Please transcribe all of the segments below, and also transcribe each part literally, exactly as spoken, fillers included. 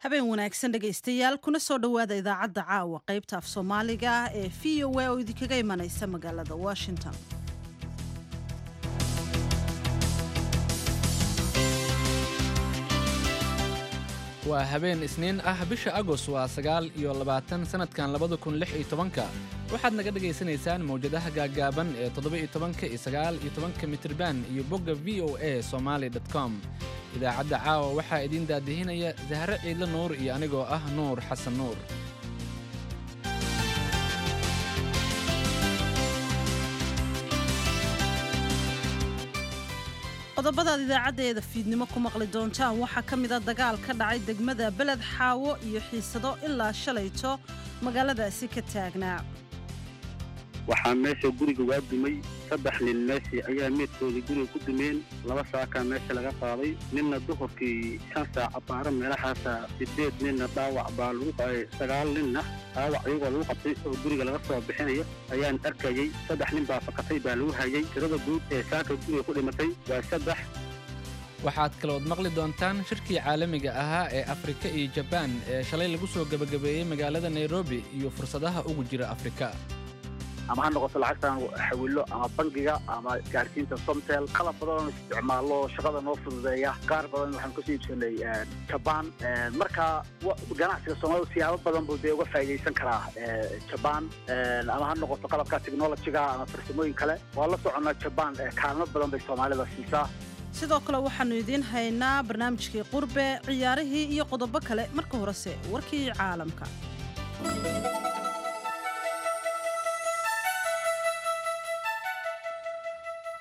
Habeen wanaagsan dhegaystayaal, kuna soo dhowaada idaacadda caawa qaybta af Soomaaliga ah ee V O A oo idinkaga imanaysa magaalada Washington. Waa habeen Isniin ah, bisha Agos waa sagaal iyo labaatan sanadkan labada kun lix iyo tobanka. Waxaad naga dhagaysanaysaan mawjadaha gaaggaaban ee toddoba iyo tobanka iyo sagaal iyo tobanka mitirban iyo bogga V O A Somali com. Idaacadda caawa waxaa idiin daadihinaya Sahre Ciidle Nuur iyo anigoo ah Nuur Xasan Nuur. Qodobadaad idaacaddeeda fiidnimo ku maqli doontaan waxaa ka mid a dagaal ka dhacay degmada Beled Xaawo iyo xiisado ilaa shalayto magaaladaasi ka taagnaa. Waxaa meesha guriga waa dumay saddex nin, meeshii ayaa meedkoodii guriga ku dumeen. Laba saakaa meesha laga qaaday, ninna duhurkii shan saac baara meelahaasa, sideed ninna dhaawac baa lagu qaaday, sagaal ninna dhaawac iyagoo lagu qabtay oo guriga laga soo bixinayo ayaan arkayey. Saddex nin baa fakatay baa lagu hayay. Tirada guud ee saaka guriga ku dhimatay waa saddex. Waxaad kalood maqli doontaan shirkii caalamiga ahaa ee Afrika iyo Jabaan ee shalay lagu soo gebagabeeyey magaalada Nairobi iyo fursadaha ugu jira Afrika. Ama ha noqoto lacagtaan xawilo ama bangiga ama gaarsiinta Somtel, qalab badan oon isticmaallo shaqada noo fududeeya, qaar badan waxaan kasoo iibsanay Jabaan. Marka ganacsiga Soomaalida siyaabo badan buu dee uga faa'iidaysan karaa Jabaan, ama ha noqoto qalabka technologyga ama farsamooyin kale. Waa la soconnaa, Jabaan kaalmo badan bay Soomaalida siisaa. Sidoo kale waxaannu idiin haynaa barnaamijkii qurbe, ciyaarihii iyo qodobo kale. Marka horese warkii caalamka.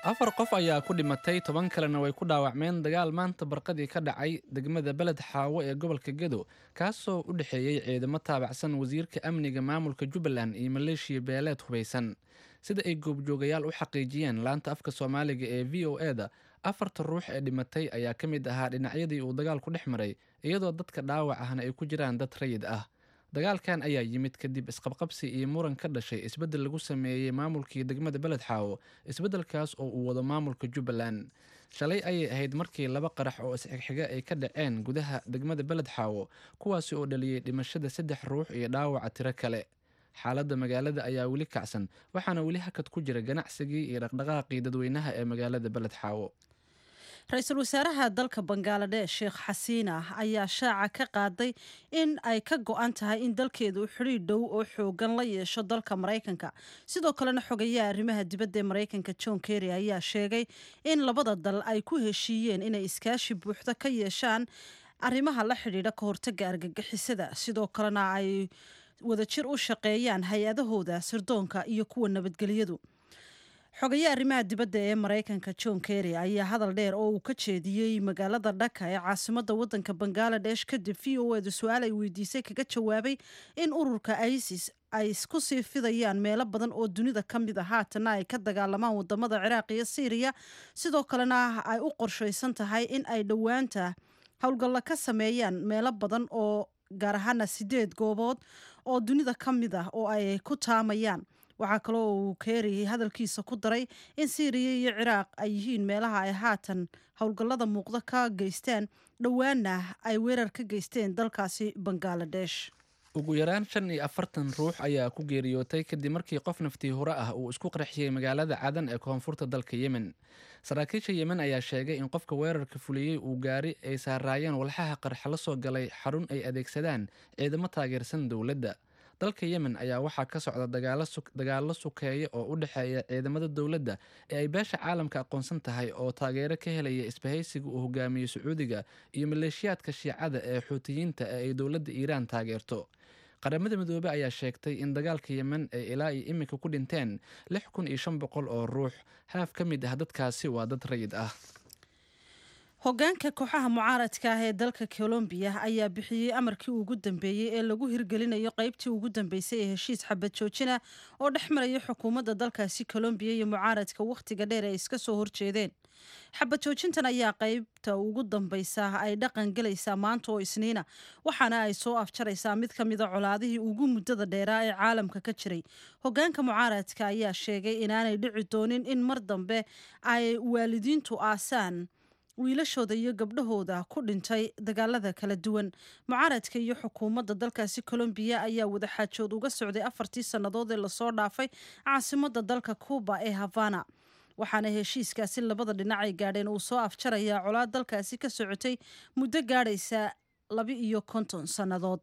Afar qof ayaa ku dhimatay, toban kalena way ku dhaawacmeen dagaal maanta barqadii ka dhacay degmada Beled Xaawo ee gobolka Gedo, kaasoo u dhexeeyey ciidamo taabacsan wasiirka amniga maamulka Jubbaland iyo maleeshiya beeleed hubaysan. Sida ay goobjoogayaal u xaqiijiyeen laanta afka Soomaaliga ee V O E da, afarta ruux ee dhimatay ayaa ka mid ahaa dhinacyadii uu dagaalku dhex maray, iyadoo dadka dhaawac ahna ay ku jiraan dad rayid ah. Dagaalkan ayaa yimid kadib isqabqabsi iyo muran ka dhashay isbeddel lagu sameeyey maamulkii degmada Beled Xaawo, isbeddelkaas oo uu wado maamulka Jubbaland. Shalay ayay ahayd markii laba qarax oo isxigxiga ay ka dhaceen gudaha degmada Beled Xaawo, kuwaasi oo dhaliyey dhimashada saddex ruux iyo dhaawaca tiro kale. Xaaladda magaalada ayaa weli kacsan, waxaana weli hakad ku jira ganacsigii iyo dhaqdhaqaaqii dadweynaha ee magaalada Beled Xaawo. Ra-iisul wasaaraha dalka Bangaladesh Sheekh Xasiina ayaa shaaca ka qaaday in ay ka go-an tahay in dalkeedu xidhiidh dhow oo xoogan la yeesho dalka Maraykanka. Sidoo kalena xogayaha arrimaha dibadda ee Maraykanka John Kerry ayaa sheegay in labada dal ay ku heshiiyeen inay iskaashi buuxda ka yeeshaan arrimaha la xidhiidha ka hortagga argagixisada, sidoo kalena ay wadajir u shaqeeyaan hay-adahooda sirdoonka iyo kuwa nabadgelyadu. Xogayaha arrimaha dibadda ee Maraykanka John Kerry ayaa hadal dheer oo uu ka jeediyey magaalada Dhaka ee caasimadda waddanka Bangaladesh kadib V O eda su-aal ay weydiisay kaga jawaabay in ururka ISIS ay isku sii fidayaan meelo badan oo dunida ka mid a, haatana ay ka dagaalamaan wadamada Ciraaq iyo Siiriya, sidoo kalena ay u qorshaysan tahay in ay dhowaanta howlgalla ka sameeyaan meelo badan oo gaar ahaana sideed goobood oo dunida ka mid ah oo ay ku taamayaan. Waxaa kaloo uu Kerry hadalkiisa ku daray in Siiriya iyo Ciraaq ay yihiin meelaha ay haatan howlgallada muuqda ka geysteen, dhowaana ay weerar ka geysteen dalkaasi Bangaladesh. Ugu yaraan shan iyo afartan ruux ayaa ku geeriyootay kadib markii qof naftii hore ah uu isku qarxiyey magaalada Cadan ee koonfurta dalka Yemen. Saraakiisha Yemen ayaa sheegay in qofka weerarka fuliyey uu gaari ay saaraayeen walxaha qarxa la soo galay xarun ay adeegsadaan ciidamo taageersan dowladda. Dalka Yemen ayaa waxaa ka socda dagaallo sukeeya oo u dhexeeya ciidamada dowladda ee ay beesha caalamka aqoonsan tahay oo taageero ka helaya isbahaysiga uu hogaamiyo Sacuudiga iyo maleeshiyaadka Shiicada ee Xuutiyiinta ee ay dowladda Iiraan taageerto. Qaramada Midoobey ayaa sheegtay in dagaalka Yemen ay ilaa iyo iminka ku dhinteen lix kun iyo shan boqol oo ruux. Haaf ka mid ah dadkaasi waa dad rayid ah. Hogaanka kooxaha mucaaradka ah ee dalka Colombiya ayaa bixiyey amarkii ugu dambeeyey ee lagu hirgelinayo qaybtii ugu dambeysay ee heshiis xabad joojina oo dhex maraya xukuumadda dalkaasi Colombiya iyo mucaaradka wakhtiga dheer ay iska soo horjeedeen. Xabad joojintan ayaa qaybta ugu dambeysa ay dhaqan gelaysaa maanta oo Isniina, waxaana ay soo afjaraysaa mid ka mida colaadihii ugu muddada dheeraa ee caalamka ka jiray. Hogaanka mucaaradka ayaa sheegay inaanay dhici doonin in mar dambe ay waalidiintu aasaan Wiilashooda iyo gabdhahooda ku dhintay dagaalada kala duwan. Mucaaradka iyo xukuumadda dalkaasi Colombiya ayaa wadaxaajood uga socday afartii sannadood ee lasoo dhaafay caasimadda dalka Cuuba ee Havana, waxaana heshiiskaasi labada dhinac ay gaadheen uu soo afjarayaa colaad dalkaasi ka socotay muddo gaadhaysa laba iyo konton sannadood.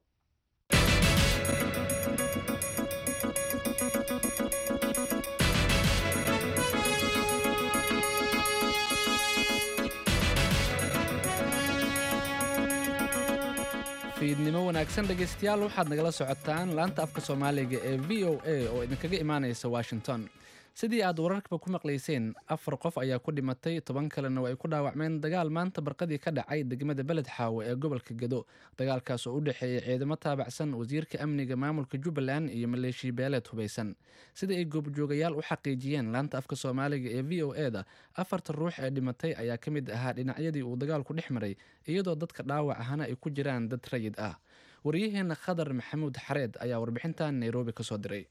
Fiidnimo wanaagsan dhegaystayaal, waxaad nagala socotaan laanta afka Soomaaliga ee V O A oo idinkaga imaanaysa Washington. Sidii aad wararkaba ku maqlayseen, afar qof ayaa ku dhimatay, toban kalena ay ku dhaawacmeen dagaal maanta barqadii ka dhacay degmada Beled Xaawo ee gobolka Gedo. Dagaalkaas oo u dhexeeyay ciidamo taabacsan wasiirka amniga maamulka Jubbaland iyo maleeshiya beeleed hubaysan. Sida ay goobjoogayaal u xaqiijiyeen laanta afka Soomaaliga ee V O E da, afarta ruux ee dhimatay ayaa ka mid ahaa dhinacyadii uu dagaalku dhex maray, iyadoo dadka dhaawac ahana ay ku jiraan dad rayid ah. Wariyaheena Khadar Maxamuud Xareed ayaa warbixintan Nairobi kasoo diray.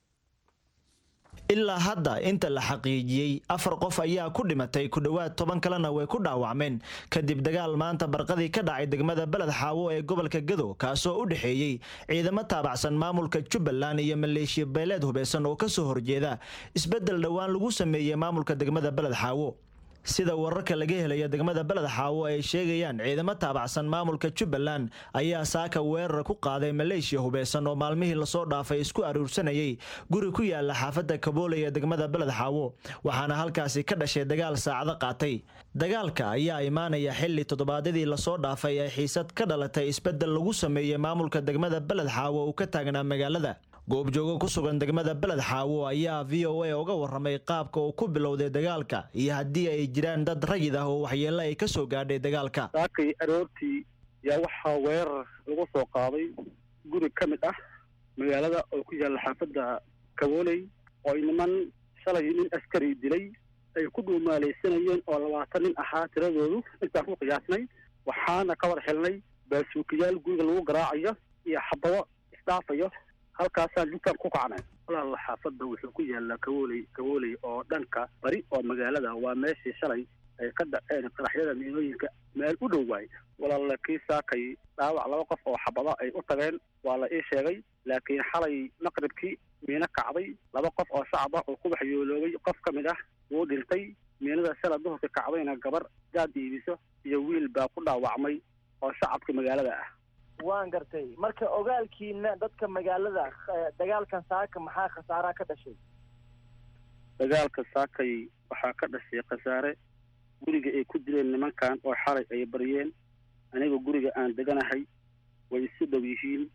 Ilaa hadda inta la xaqiijiyey, afar qof ayaa ku dhimatay, ku dhowaad toban kalena way ku dhaawacmeen kadib dagaal maanta barqadii ka dhacay degmada Beled Xaawo ee gobolka Gado, kaasoo u dhexeeyey ciidamo taabacsan maamulka Jubbaland iyo maleeshiya beeleed hubeysan oo kasoo horjeeda isbeddel dhowaan lagu sameeyey maamulka degmada Beled Xaawo. Sida wararka laga helaya degmada Beled Xaawo ay sheegayaan, ciidamo taabacsan maamulka Jubbaland ayaa saaka weerar ku qaaday maleeshiya hubeysan oo maalmihii lasoo dhaafay isku aruursanayay guri ku yaala xaafadda Kaboole ee degmada Beled Xaawo, waxaana halkaasi ka dhashay dagaal saacado qaatay. Dagaalka ayaa imaanaya xilli toddobaadyadii lasoo dhaafay ee xiisad ka dhalatay isbeddel lagu sameeyey maamulka degmada Beled Xaawo uu ka taagnaa magaalada. Goobjoogo ku sugan degmada Beled Xaawo ayaa V O A uga warramay qaabka uu ku bilowday dagaalka iyo haddii ay jiraan dad rayid ah oo waxyeello ay ka soo gaadhay dagaalka. Saakay aroortii yaa waxaa weerar lagu soo qaaday guri ka mid ah magaalada oo ku yaalla xaafadda Kabooley, oo ay niman shalay nin askari dilay ay ku dhuumaalaysanayeen oo labaatan nin ahaa tiradoodu intaan ku qiyaasnay. Waxaana ka war xilnay baasuukiyaal guriga lagu garaacayo iyo xabado isdhaafayo. Halkaasaan jugtaan ku kacnay. Walaal, xaafadda wuxuu ku yaallaa Kabooley, Kabooley oo dhanka bari oo magaalada, waa meeshii shalay ay ka dhaceen qaraxyada miinooyinka meel u dhow waay. Walaal, kii saakay dhaawac laba qof oo xabado ay u tageen waa la ii sheegay, laakiin xalay maqribkii miino kacday, laba qof oo shacab ah oo ku waxyooloobay, qof ka mid ah wuu dhintay. Miinada shala duhurka kacdayna gabar jaad iibiso iyo wiil baa ku dhaawacmay oo shacabka magaalada ah. Waan gartay. Marka ogaalkiina dadka magaalada, dagaalkan saaka maxaa khasaaraha ka dhashay? Dagaalka saakay waxaa ka dhashay khasaare guriga ay ku dileen nimankan oo xalay ay baryeen. Aniga guriga aan deganahay way isu dhow yihiin.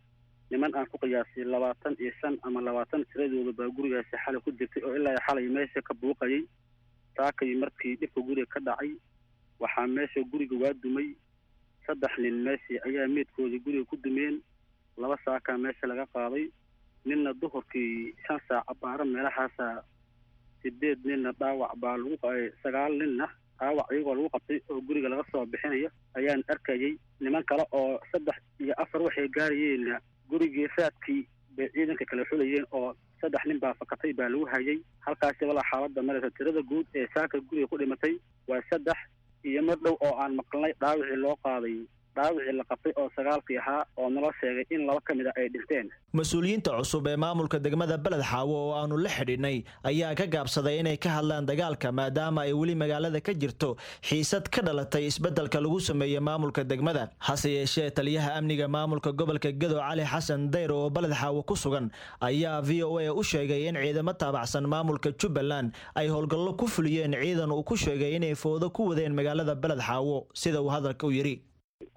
Niman aan ku qiyaasay labaatan iyo shan ama labaatan tiradooda baa gurigaasi xalay ku jirtay oo ilaa xalay meesha ka buuqayay. Saakay markii dhibka guriga ka dhacay, waxaa meesha guriga waa dumay, saddex nin meeshii ayaa meedkoodii guriga ku dumeen. Laba saakaa meesha laga qaaday, ninna duhurkii shan saac abaaro meelahaasa. Sideed ninna dhaawac baa lagu, sagaal ninna dhaawac iyagoo lagu qabtay oo guriga laga soo bixinayo ayaan arkayay. Niman kale oo saddex iyo afar waxay gaarayeenna gurigii raadkii bay ciidanka kala xulayeen oo saddex nin baa fakatay baa lagu hayay halkaasi. Walaa, xaaladda maraysa tirada guud ee saaka guriga ku dhimatay waa saddex iyo mar dhow oo aan maqalnay dhaawicii loo qaaday, dhaawicii la qabtay oo sagaalkii ahaa oo naloo sheegay in laba ka mid a ay dhinteen. Mas-uuliyiinta cusub ee maamulka degmada Beled Xaawo oo aanu la xidhiidhnay ayaa ka gaabsaday inay ka hadlaan dagaalka, maadaama ay weli magaalada ka jirto xiisad ka dhalatay isbeddelka lagu sameeyey maamulka degmada. Hase yeeshee, taliyaha amniga maamulka gobolka Gedo, Cali Xasan Dayr, oo Beled Xaawo ku sugan ayaa V O A u sheegay in ciidamo taabacsan maamulka Jubbaland ay howlgallo ku fuliyeen ciidan uu ku sheegay inay foodo ku wadeen magaalada Beled Xaawo, sida uu hadalka u yidhi.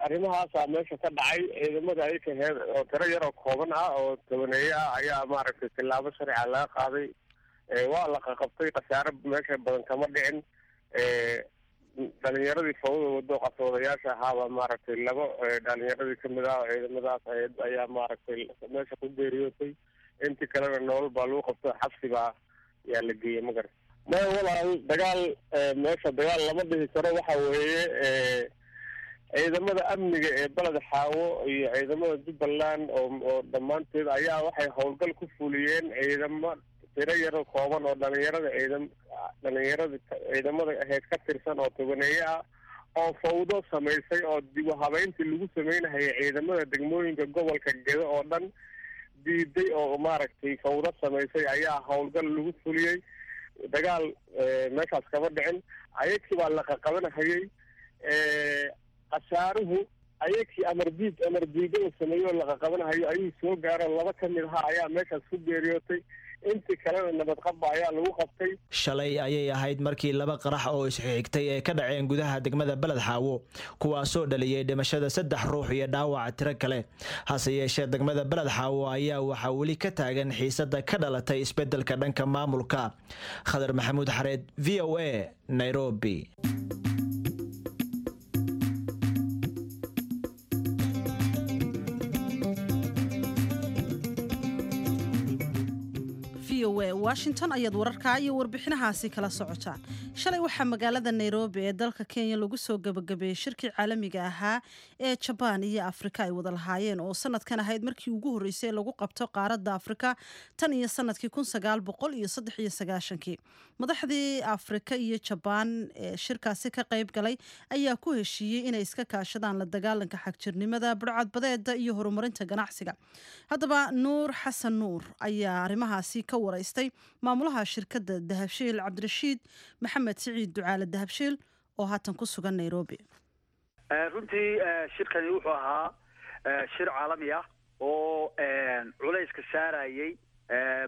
Arrimahaasaa meesha ka dhacay. Ciidamada ay kaheen oo tiro yar oo kooban ah oo tobaneeye ah ayaa maaragtay tillaabo sharciga laga qaaday, waa la qaqabtay. Khasaare meesha badan kama dhicin. Dhalinyaradii fawda wado qaswadayaasha ahaaba maaragtay labo dhalinyaradii kamid ah oo ciidamadaas ayaa maaragtay meesha ku geeriyootay. Intii kalena nolol baa lagu qabto, xabsi baa yaa la geeyey. Ma garat maya walaal, dagaal meesha dagaal lama dhihi karo. Waxa weeye ciidamada amniga ee Beled Xaawo iyo ciidamada Jubbaland oo oo dhammaanteed ayaa waxay howlgal ku fuliyeen ciidamo tiro yaro kooban oo dhalinyarada ciidam dhalinyarada ciidamada ahayd ka tirsan oo tobaneeye ah oo fawdo samaysay oo dib u habeyntii lagu sameynahayay ciidamada degmooyinka gobolka Gedo oo dhan diiday oo maaragtay fawdo samaysay ayaa howlgal lagu fuliyey. Dagaal meeshaas kama dhicin, ayagkii baa la qaqabanahayay. Khasaaruhu ayagkii amardiid amardiidada sameeyey oo la qaqabanahayo ayuu soo gaaro, laba ka mid ahaa ayaa meeshaas ku geeriyootay, intii kalena nabadqabba ayaa lagu qabtay. Shalay ayay ahayd markii laba qarax oo isxigtay ee ka dhaceen gudaha degmada Beled Xaawo, kuwaasoo dhaliyey dhimashada saddex ruux iyo dhaawaca tiro kale. Hase yeeshee degmada Beled Xaawo ayaa waxaa weli ka taagan xiisada ka dhalatay isbedelka dhanka maamulka. Khadar Maxamuud Xareed, V O A, Nairobi. Washington ayaad wararka iyo warbixinahaasi kala socotaan. Shalay waxaa magaalada Nairobi ee dalka Kenya lagu soo gabagabeeyey shirkii caalamiga ahaa ee Jaban iyo Afrika ay wada lahaayeen oo sanadkan ahayd markii ugu horeysay lagu qabto qaaradda Afrika tan iyo sanadkii kun sagaal boqol iyo saddex iyo sagaashankii. Madaxdii Afrika iyo Jaban ee shirkaasi ka qayb galay ayaa ku heshiiyey inay iska kaashadaan la dagaalanka xagjirnimada, burcadbadeeda iyo horumarinta ganacsiga. Haddaba Nuur Xasan Nuur ayaa arrimahaasi ka wareystay maamulaha shirkadda Dahabshiil Cabdirashiid Maxamed Siciid Ducaale Dahabshiil oo haatan ku sugan Nairobi. Runtii shirkani wuxuu ahaa shir caalami ah oo culayska saarayay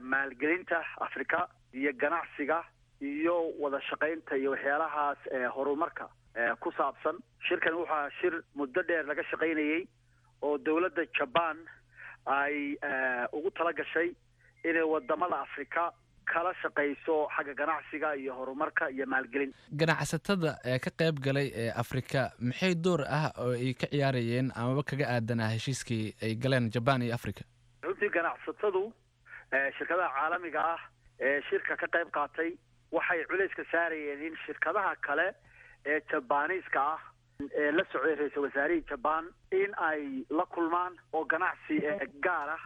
maalgelinta Afrika iyo ganacsiga iyo wada shaqaynta iyo waxyaalahaas horumarka ku saabsan. Shirkani wuxuu ahaa shir muddo dheer laga shaqaynayay oo dowladda Jaban ay ugu tala gashay inay wadamada Afrika kala shaqayso xagga ganacsiga iyo horumarka iyo maalgelin. Ganacsatada ee ka qayb galay ee Afrika maxay door ah oo ay ka ciyaarayeen amaba kaga aadanaa heshiiskii ay galeen Jaban iyo Afrika? Runtii ganacsatadu shirkadaha caalamiga ah ee shirka ka qayb qaatay waxay culayska saarayeen in shirkadaha kale ee Jabaaniiska ah ee la socday ra'iisul wasaarihii Jaban in ay la kulmaan oo ganacsi gaar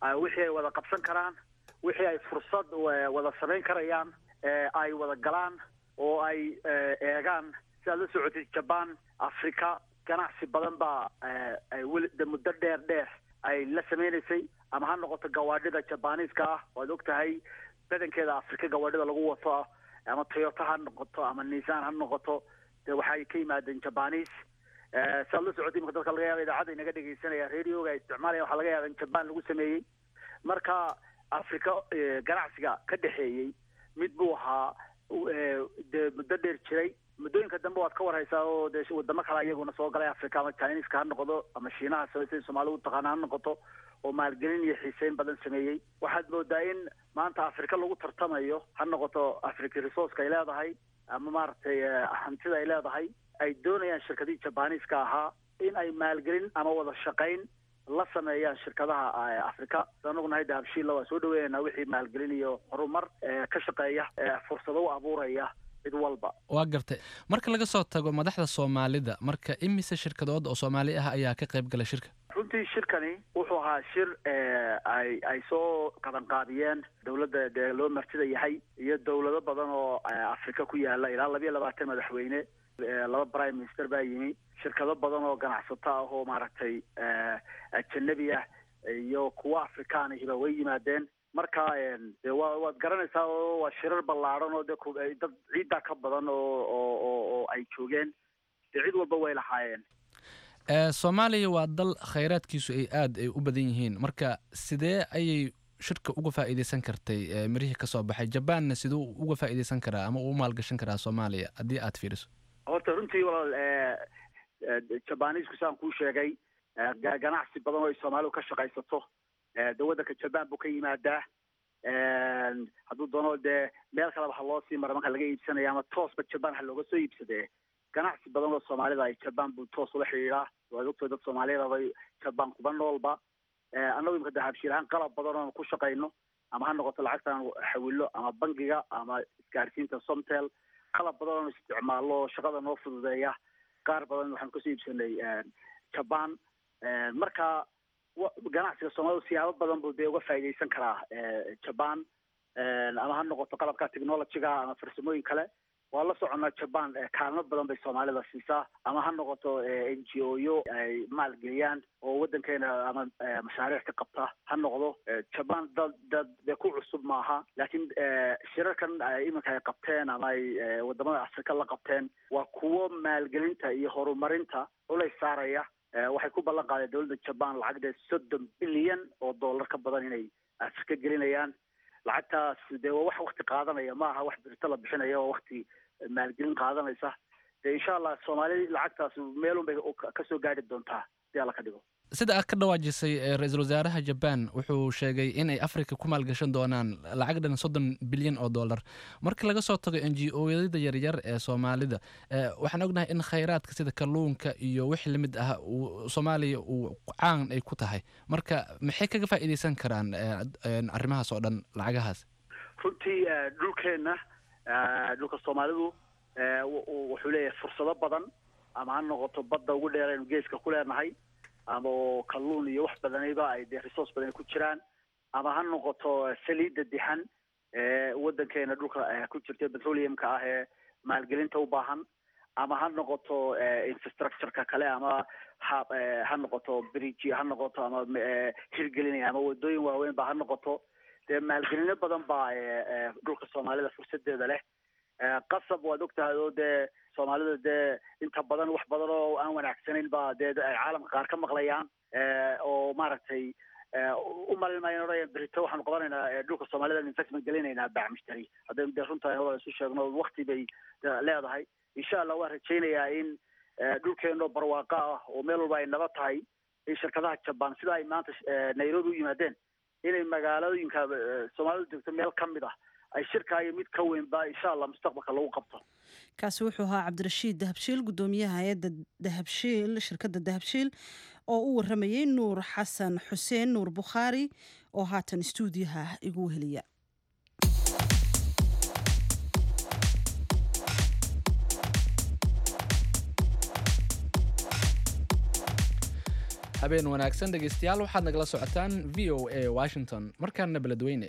ah wixii ay wada qabsan karaan, wixii ay fursad wada samayn karayaan ay wada galaan oo ay eegaan. Sidaad la socotay Jaban Afrika ganacsi badan baa ay weli muddo dheer dheer ay la sameynaysay, ama ha noqoto gawaadhida Jabaaniiska ah waad ogtahay badankeeda Afrika gawaadhida lagu wato, ama Toyota ha noqoto ama Nissan ha noqoto, dee waxay ka yimaadeen Jabaaniis. Sidaad la socotay imika dadka laga yaaba idaacadda inaga dhegeysanaya radioga ay isticmaalaya waxaa laga yaaba in Jaban lagu sameeyey. Marka Afrika ganacsiga ka dhexeeyey mid buu ahaa dee muddo dheer jiray. Muddooyinka dambe waad ka warhaysaa oo dee wadamo kale iyaguna soo galay Afrika, ama Chinese-ka ha noqdo ama Shiinaha sida Soomaalidu u taqaana ha noqoto, oo maalgelin iyo xiiseyn badan sameeyey. Waxaad moodaa in maanta Afrika lagu tartamayo, ha noqoto Afrika resource-ka ay leedahay ama maaragtay hantida ay leedahay, ay doonayaan shirkadihii Jabaaniiska ahaa in ay maalgelin ama wada shaqayn la sameeyaan shirkadaha Afrika. Anagu nahay Dahabshiil waa soo dhaweynaa wixii maalgelin iyo horumar ka shaqeeya, fursado u abuuraya cid walba. Waa gartay. Marka laga soo tago madaxda Soomaalida, marka imise shirkadood oo Soomaali ah ayaa ka qayb galay shirka? Runtii shirkani wuxuu ahaa shir ay ay soo qabanqaabiyeen dowladda dee loo martida yahay iyo dowlado badan oo Afrika ku yaala, ilaa labiyo labaatan madaxweyne, laba prime minister baa yimi, shirkado badan oo ganacsato ah oo maaragtay ajanabi ah iyo kuwa Afrikaan ahiba way yimaadeen. Marka dee waa waad garanaysaa oo waa shirar ballaaran oo dee dad ciiddaa ka badan oo oo oo ay joogeen, dee cid walba way lahaayeen. Soomaaliya waa dal khayraadkiisu ay aad ay u badan yihiin, marka sidee ayay shirka uga faa'iideysan kartay mirihii ka soo baxay? Jabanna siduu uga faa'iideysan karaa ama uu maalgashan karaa Soomaaliya haddii aad fiiriso? Horta runtii walaal, Jabaaniisku saan kuu sheegay ganacsi badan oo ay Soomaalidu ka shaqaysato dee waddanka Jaban buu ka yimaadaa. Hadduu doono dee meel kaleba ha loo sii mara marka laga iibsanaya ama toosba Jaban ha looga soo iibsadee, ganacsi badan oo Soomaalida ay Jaban buu toos ula xidhiidhaa. Waad ogtahay dad Soomaaliyeed bay Jaban kuba noolba. Annagu imika Dahabshiil ahaan qalab badan oon ku shaqayno, ama ha noqoto lacagtaan xawilo ama bangiga ama isgaarsiinta Somtel, qalab badan oon isticmaallo shaqada noo fududeeya, qaar badan waxaan kasoo iibsanay Jaban. Marka ganacsiga Soomaalidu siyaabo badan buu dee uga faa'iideysan karaa Jaban, ama ha noqoto qalabka technology-ga ama farsamooyin kale. Waa la soconaa Jaban kaalmo badan bay Soomaalida siisaa, ama ha noqoto N G O-yo ay maalgeliyaan oo waddankeena ama mashaariic ka qabta ha noqdo. Jaban dad dad dee ku cusub maaha, laakiin shirarkan iminka ay qabteen ama ay wadamada Afrika la qabteen waa kuwo maalgelinta iyo horumarinta culays saaraya. Waxay ku ballan qaadeen dowladda Jaban lacag dee soddon bilyan oo dollar ka badan inay Afrika gelinayaan. Lacagtaas dee waa wax wakti qaadanaya, ma aha wax birito la bixinaya, oo wakti maalgelin qaadanaysa. Dee insha Allah Soomaali lacagtaas meelun bay kasoo gaadhi doontaa hadii Alla ka dhigo. Sida aad ka dhawaajisay, ra-iisul wasaaraha Jaban wuxuu sheegay inay Africa ku maalgashan doonaan lacag dhan soddon bilyan oo dollar. Marka laga soo tago N G O-yada yaryar ee Soomaalida, waxaan ognahay in khayraadka sida kalluunka iyo wixii lamid ah uu Soomaaliya uu caan ay ku tahay. Marka maxay kaga faa'iideysan karaan arrimahaas oo dhan lacagahaas? Runtii dhulkeenna, dhulka Soomaalidu wuxuu leeyahay fursado badan, ama ha noqoto badda ugu dheer aynu geeska ku leenahay, ama oo kalluun iyo wax badaniba ay dee resource badan ku jiraan, ama ha noqoto saliidda dixan ee waddankeena dhulka ku jirta petroleumka ah ee maalgelinta u baahan, ama ha noqoto infrastructure-ka kale, ama ha ha noqoto bridge ha noqoto, ama hirgelinaya ama wadooyin waaweyn ba ha noqoto. Dee maalgelino badan baa dhulka Soomaalida fursadeeda leh. Qasab waad ogtahay oo dee Soomaalida dee inta badan wax badan oo aan wanaagsanayn baa dee ay caalamka qaar ka maqlayaan, oo maaragtay u malin maayo odhanayaan berito waxaanu qabanaynaa dhulka Soomaalida investment gelinaynaa baac mushtari. Haddaynu dee runta isu sheegno wakti bay leedahay. Insha Allah waan rajaynayaa in dhulkeenoo barwaaqo ah oo meel walba ay nabad tahay, in shirkadaha Jaban sida ay maanta Nairobi u yimaadeen inay magaalooyinka Soomaalidu joogto meel ka mid ah ay shirka iyo mid ka weynba insha Allah mustaqbalka lagu qabto. Kaasi wuxuu ahaa Cabdirashiid Dahabshiil, gudoomiyaha hay'adda Dahabshiil, shirkadda Dahabshiil, oo u waramayay Nuur Xasan Xuseen Nuur Bukhaari oo haatan istuudiyaha igu heliya. Habeen wanaagsan dhegeystayaal, waxaad nagala socotaan V O A Washington. Markaana Beledweyne,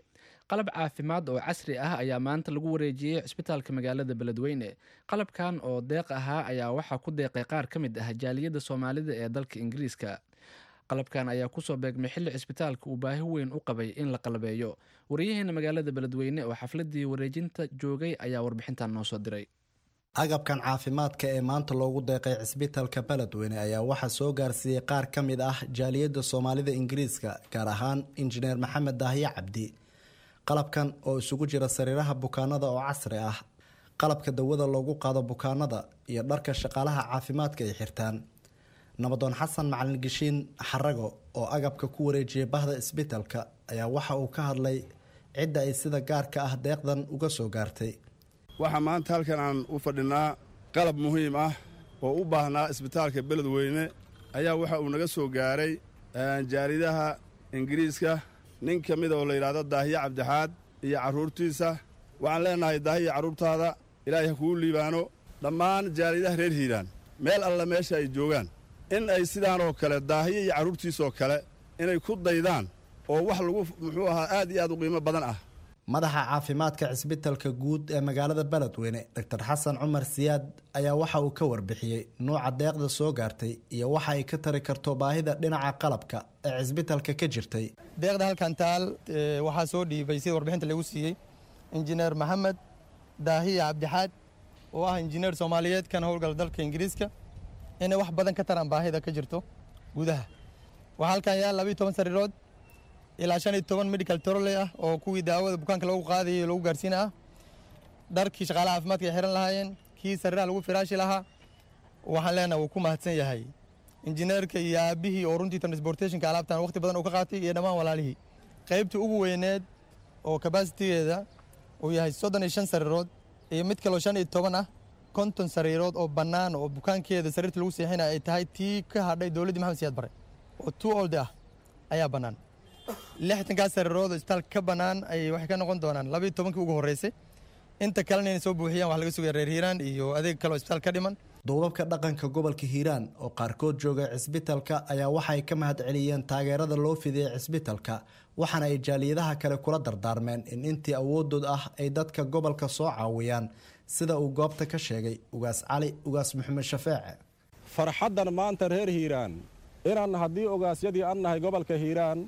qalab caafimaad oo casri ah ayaa maanta lagu wareejiyey cisbitaalka magaalada Beledweyne. Qalabkan oo deeq ahaa ayaa waxaa ku deeqay qaar ka mid ah jaaliyadda Soomaalida ee dalka Ingiriiska. Qalabkan ayaa kusoo beegmay xilli cisbitaalka uu baahi weyn u qabay in la qalabeeyo. Wariyaheena magaalada Beledweyne oo xafladii wareejinta joogay ayaa warbixintan noo soo diray. Agabkan caafimaadka ee maanta loogu deeqay cisbitaalka Beledweyne ayaa waxaa soo gaarsiiyey qaar ka mid ah jaaliyadda Soomaalida Ingiriiska, gaar ahaan injineer Maxamed Daahiye Cabdi. Qalabkan oo isugu jira sariiraha bukaanada oo casri ah, qalabka dawada loogu qaado bukaanada iyo dharka shaqaalaha caafimaadka ay xirtaan. Nabadoon Xasan Macalin Gishiin Xarago oo agabka ku wareejiyay bahda isbitaalka ayaa waxa uu ka hadlay cidda ay sida gaarka ah deeqdan uga soo gaartay. Waxaa maanta halkan aan u fadhinaa qalab muhiim ah oo u baahnaa isbitaalka Beledweyne ayaa waxa uu naga soo gaaray jaaridaha Ingiriiska, nin ka mid oo la yidhaahdo Daahiye Cabdixaad iyo carruurtiisa. Waxaan leenahay Daahiye carruurtaada Ilaahay ha kugu liibaano. Dhammaan jaaridaha reer Hiiraan meel alla meesha ay joogaan in ay sidaan oo kale Daahiye iyo carruurtiisoo kale inay ku daydaan oo wax lagu muxuu ahaa aad iyo aad u qiimo badan ah. Madaxa caafimaadka cisbitaalka guud ee magaalada Beledweyne, Doctor Xasan Cumar Siyaad, ayaa waxa uu ka warbixiyey nooca deeqda soo gaartay iyo waxa ay ka tari karto baahida dhinaca qalabka ee cisbitaalka ka jirtay. Deeqda halkan taal waxaa soo dhiibay sida warbixinta lagu siiyey injineer Maxamed Daahiye Cabdixaad oo ah injineer Soomaaliyeed kana howlgala dalka Ingiriiska, inay wax badan ka taraan baahida ka jirto gudaha. Waxaa halkan yaal laba iyo toban sariirood ilaa shan iyo toban medical trolley ah oo kuwii daawada bukaanka lagu qaadayay lagu gaarsiin ah, dharkii shaqaalaha caafimaadka ay xiran lahaayeen, kii sariiraha lagu firaashi lahaa. Waxaan leenahay wuu ku mahadsan yahay injineerka iyo aabihii oo runtii transportationka alaabtan waqti badan uu ka qaatay iyo dhammaan walaalihii. Qaybtii ugu weyneed oo capacity-geeda uu yahay soddon iyo shan sariirood iyo mid kaloo shan iyo toban ah, konton sariirood oo bannaan oo bukaankeeda sariirta lagu seexinaya ay tahay tii ka hadhay dowladdii Maxamed Siyaad Barre oo two old ah ayaa bannaan. Lixdankaas sariirood oo isbitaalka ka bannaan ay waxay ka noqon doonaan laba iyo tobankii ugu horreysay. Inta kalena inay soo buuxiyaan wax laga sugaya reer Hiiraan iyo adeeg kale oo isbitaal ka dhiman. Duubabka dhaqanka gobolka Hiiraan oo qaarkood jooga cisbitaalka ayaa waxay ka mahad celiyeen taageerada loo fidiyey cisbitaalka, waxaana ay jaaliyadaha kale kula dardaarmeen in intii awooddood ah ay dadka gobolka soo caawiyaan Sida uu goobta ka sheegay Ugaas Cali Ugaas Maxamed Shafeece. Farxaddan maanta reer Hiiraan inaan haddii ogaasyadii an nahay gobolka Hiiraan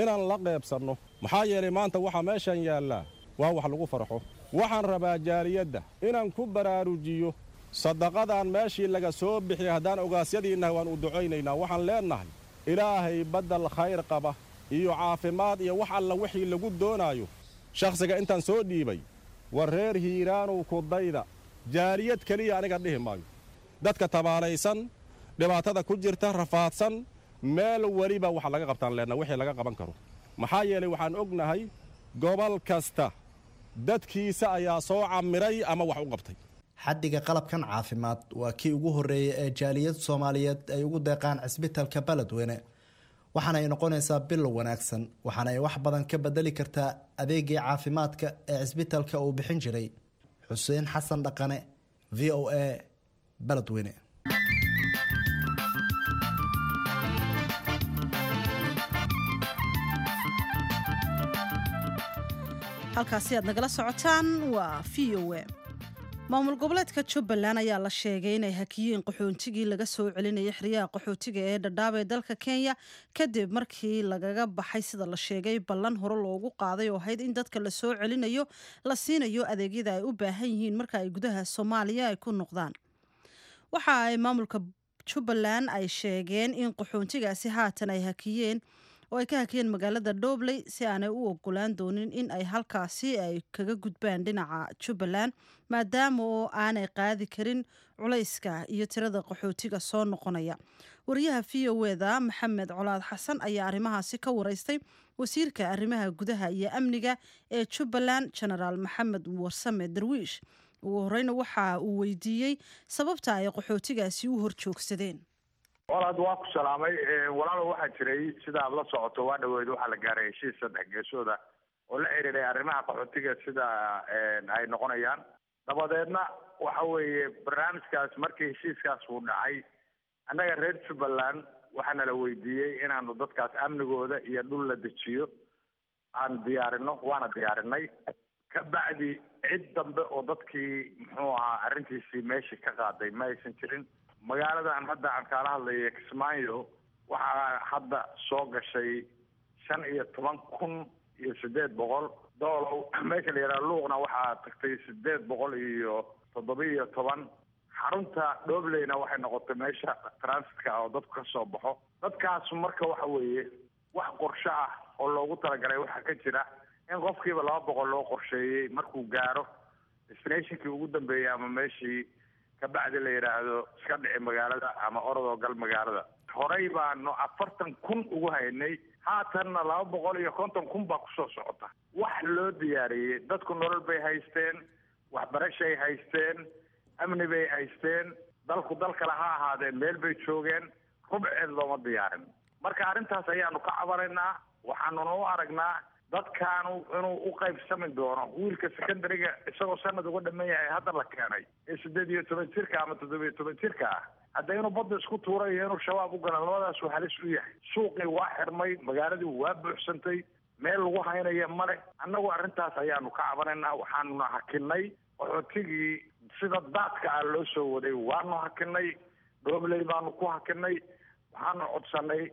inaan la qaybsanno, maxaa yeelay maanta waxa meeshan yaallaa waa wax lagu farxo. Waxaan rabaa jaaliyadda inaan ku baraarujiyo sadaqadan meeshii laga soo bixiyay. Haddaan ogaasyadii nahay waan u ducaynaynaa. Waxaan leennahay ilaahay baddal khayr qaba iyo caafimaad iyo wax alla wixii lagu doonaayo shakhsiga intaan soo dhiibay. War reer Hiiraanow, ku dayda. Jaaliyad keliya aniga dhihi maayo, dadka tabaalaysan, dhibaatada ku jirta, rafaadsan, meel weliba waxa laga qabtaan leenna wixii laga qaban karo. Maxaa yeelay waxaan ognahay gobol kasta dadkiisa ayaa soo camiray ama wax u qabtay. Xaddiga qalabkan caafimaad waa kii ugu horreeyay ee jaaliyad Soomaaliyeed ay ugu deeqaan cisbitaalka Beledweyne, waxaana ay noqonaysaa bilow wanaagsan, waxaana ay wax badan ka bedeli kartaa adeegii caafimaadka ee cisbitaalka uu bixin jiray. Xuseen Xasan Dhaqane, V O A, Beledweyne. Halkaasi aad nagala socotaan waa V O A. Maamul goboleedka Jubbaland ayaa la sheegay inay hakiyeen qaxoontigii laga soo celinayay xeryaha qaxootiga ee Dhadhaab ee dalka Kenya, kadib markii lagaga baxay, sida la sheegay, ballan hore loogu qaaday oo ahayd in dadka la soo celinayo la siinayo adeegyada ay u baahan yihiin marka ay gudaha Soomaaliya ay ku noqdaan. Waxa ay maamulka Jubbaland ay sheegeen in qaxoontigaasi haatan ay hakiyeen oo ay ka hakiyeen magaalada Dhobley si aanay u ogolaan doonin in ay halkaasi ay kaga gudbaan dhinaca Jubbaland, maadaama oo aanay qaadi karin culayska iyo tirada qaxootiga soo noqonaya. Wariyaha V O A-da Maxamed Colaad Xasan ayaa arrimahaasi ka wareystay wasiirka arrimaha gudaha iyo amniga ee Jubbaland, Genaraal Maxamed Warsame Darwiish. Ugu horeyna waxa uu weydiiyey sababta ay qaxootigaasi u horjoogsadeen. Walaad, waa ku salaamay walaalo. Waxaa jiray, sida aad la socoto, waa dhaweyd waxaa la gaaray heshiis saddex geesooda oo la xiriiray arrimaha qaxootiga sida ay noqonayaan. Dabadeedna waxa weeye barnaamijkaas markii heshiiskaas uu dhacay, annaga reer Jubbaland waxaana la weydiiyey inaanu dadkaas amnigooda iyo dhul la dejiyo aan diyaarino, waana diyaarinay. Kabacdi cid dambe oo dadkii muxuu ahaa arrintiisii meeshii ka qaaday ma aysan jirin. Magaaladan hadda aan kaala hadlaya, Kismaayo, waxaa hadda soo gashay shan iyo toban kun iyo siddeed boqol. Doolow meesha la yidhaha Luuqna waxaa tagtay siddeed boqol iyo toddoba iyo toban. Xarunta Dhobleyna waxay noqotay meesha transitka oo dadku ka soo baxo. Dadkaas marka waxa weeye wax qorshe ah oo loogu talagalay waxaa ka jira in qofkiiba laba boqol loo qorsheeyey markuu gaaro destinationkii ugu dambeeyey ama meeshii, kabacdi la yidhaahdo iska dhici magaalada ama orodoo gal magaalada. Horey baanu afartan kun ugu haynay, haatanna laba boqol iyo konton kun baa kusoo socota. Wax loo diyaariyey, dadku nolol bay haysteen, waxbarashay haysteen, amni bay haysteen, dalku dal kale ha ahaadee meel bay joogeen, rubceed looma diyaarin. Marka arrintaas ayaanu ka cabanaynaa, waxaanuna u aragnaa dadkaanu inuu u qaybsami doono wiilka secondary-ga isagoo sanad uga dhaman yahay hadda la keenay ee siddeed iyo toban jirka ama toddoba iyo toban jirka ah, hadda inuu badda isku tuuray iyo inuu shabaab u gala, labadaasuu halis u yahay. Suuqii waa xirmay, magaaladii waa buuxsantay, meel lagu haynaya male. Annagu arrintaas ayaanu ka cabanaynaa, waxaanuna hakinay qaxootigii sida daadka ah loo soo waday, waanu hakinay, Dhobley baanu ku hakinay. Waxaanu codsanay